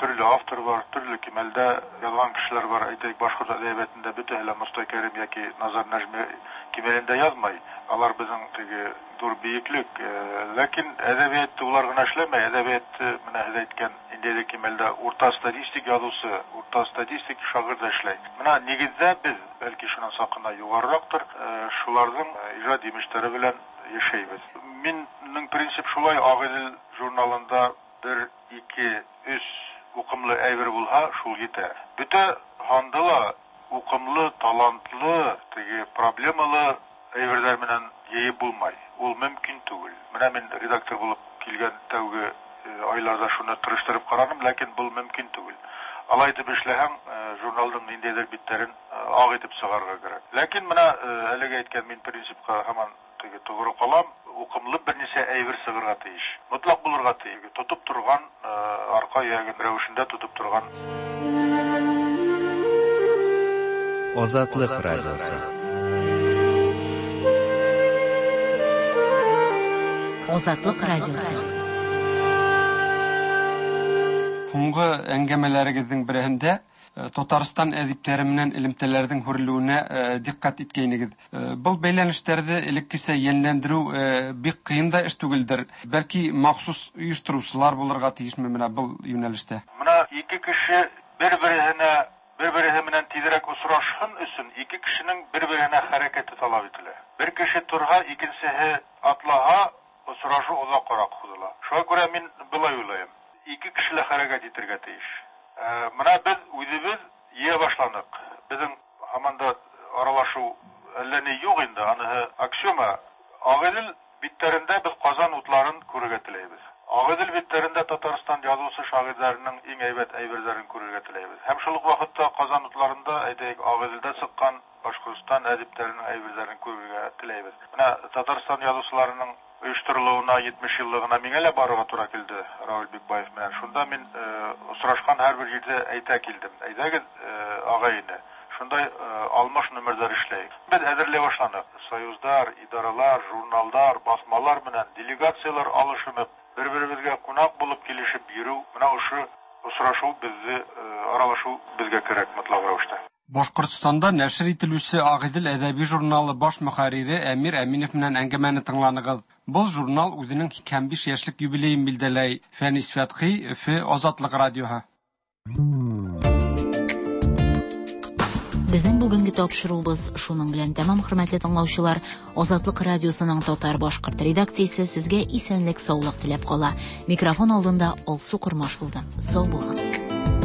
Төрле автор бар, төрле кимәлдә язган кешеләр бар. Әйтәйек, башкорт әдәбиятында бөтәһе лә Мостай Кәрим яки Назар Нәҗми кимәлендә язмай. Алар безнең теге зур биеклек. Ләкин әдәбиятта улар гына эшләмәй. Әдәбият менә һез әйткән ниндәйдер кимәлдә урта статистик язучы, урта статистик шагыйрь дә эшләй. Менә нигездә без, бәлки шуннан сакына югарырактыр, шуларның иҗат имешләре белән яшәйбез. Миннең принцип шулай, Агыйдел журналында 1, 2, 3 укымлы әйбер булһа, шул җитә. Бөтә һанды ла укымлы, талантлы, теге проблемалы әйберләр белән йыйып булмай. Ул мөмкин түгел. Менә мин редактор булып килгән тәүге айларда шуны тырыштырып карадым, ләкин был мөмкин түгел. Алай итеп эшләһәң, журналның ниндәйдер битләрен ак итеп чыгарырга кирәк. Ләкин менә әлеге әйткән мин принципка һаман теге тугры калам, укымлы берничә әйбер чыгарга тиеш. Мотлак булырга тиеш. Тотып торган, арка ягы рәвешендә тотып торган. Азатлык радиосы. Азатлык радиосы. Һуңгы әңгәмәләрегезнең береһендә Татарстан әдипләре менән элемтәләрнең һүрелүенә дикъкать иткәйнегез. Был бәйләнешләрҙе элеккесә йәнләндерү бик кыен да эш түгелдер. Бәлки махсус оештырыусылар булырга тиешме менә был юнәлештә? Менә ике кеше бер-береһенә, бер-береһе менән тизрәк очрашһын өчен ике кешенең бер-береһенә хәрәкәте таләп ителә. Бер кеше торһа, икенсеһе атлаһа, очрашу озаккарак һузыла. Шуңа күрә мин былай уйлыйм. Ике кеше лә хәрәкәт итергә тиеш. Менә без үзебез йыя башланык. Безнең һаман да аралашу әллә ни юк инде, аныһы аксиома. Агыйдел битләрендә без Казан утларын күрергә теләйбез. Агыйдел битләрендә Татарстан язучы шагыйрьләренең иң әйбәт әйберләрен күрергә теләйбез. Һәм шул ук вакытта Казан утларында, әйтәйек, Агыйделдә чыккан Башкортстан әдипләренең әйберләрен күрергә теләйбез. Менә Татарстан язучыларының оештырылуына 70 еллыгына миңа лә барырга тура килде Равил Бикбаев белән. Шунда мин очрашкан һәрбер җирдә әйтә килдем. Әйдәгез, агай-эне, шундай алмаш номерлар эшләйек. Без әзерләй башланык. Союздар, идаралар, журналдар, басмалар белән делегацияләр алышынып, Бер-беребезгә кунак булып килешеп йөрү, менә ошо очрашу безне, аралашу безгә кирәк мотлак рәвештә. Башкортстанда нәшер ителүче Агыйдел әдәби журналы баш мөхәррире Әмир Әминев белән әңгәмәне тыңланыгыз. Был журнал үзенең 85 яшьлек юбилеен билдәләй. Фәнис Фәтхи, Өфе, Азатлык радиоһы. Безнең бүгенге тапшыруыбыз шуның белән тәмам, хөрмәтле тыңлаучылар. Азатлык радиосының татар-башкорт редакциясе сезгә исәнлек-саулык теләп кала. Микрофон алдында Алсу Кормаш булды. Сау булыгыз.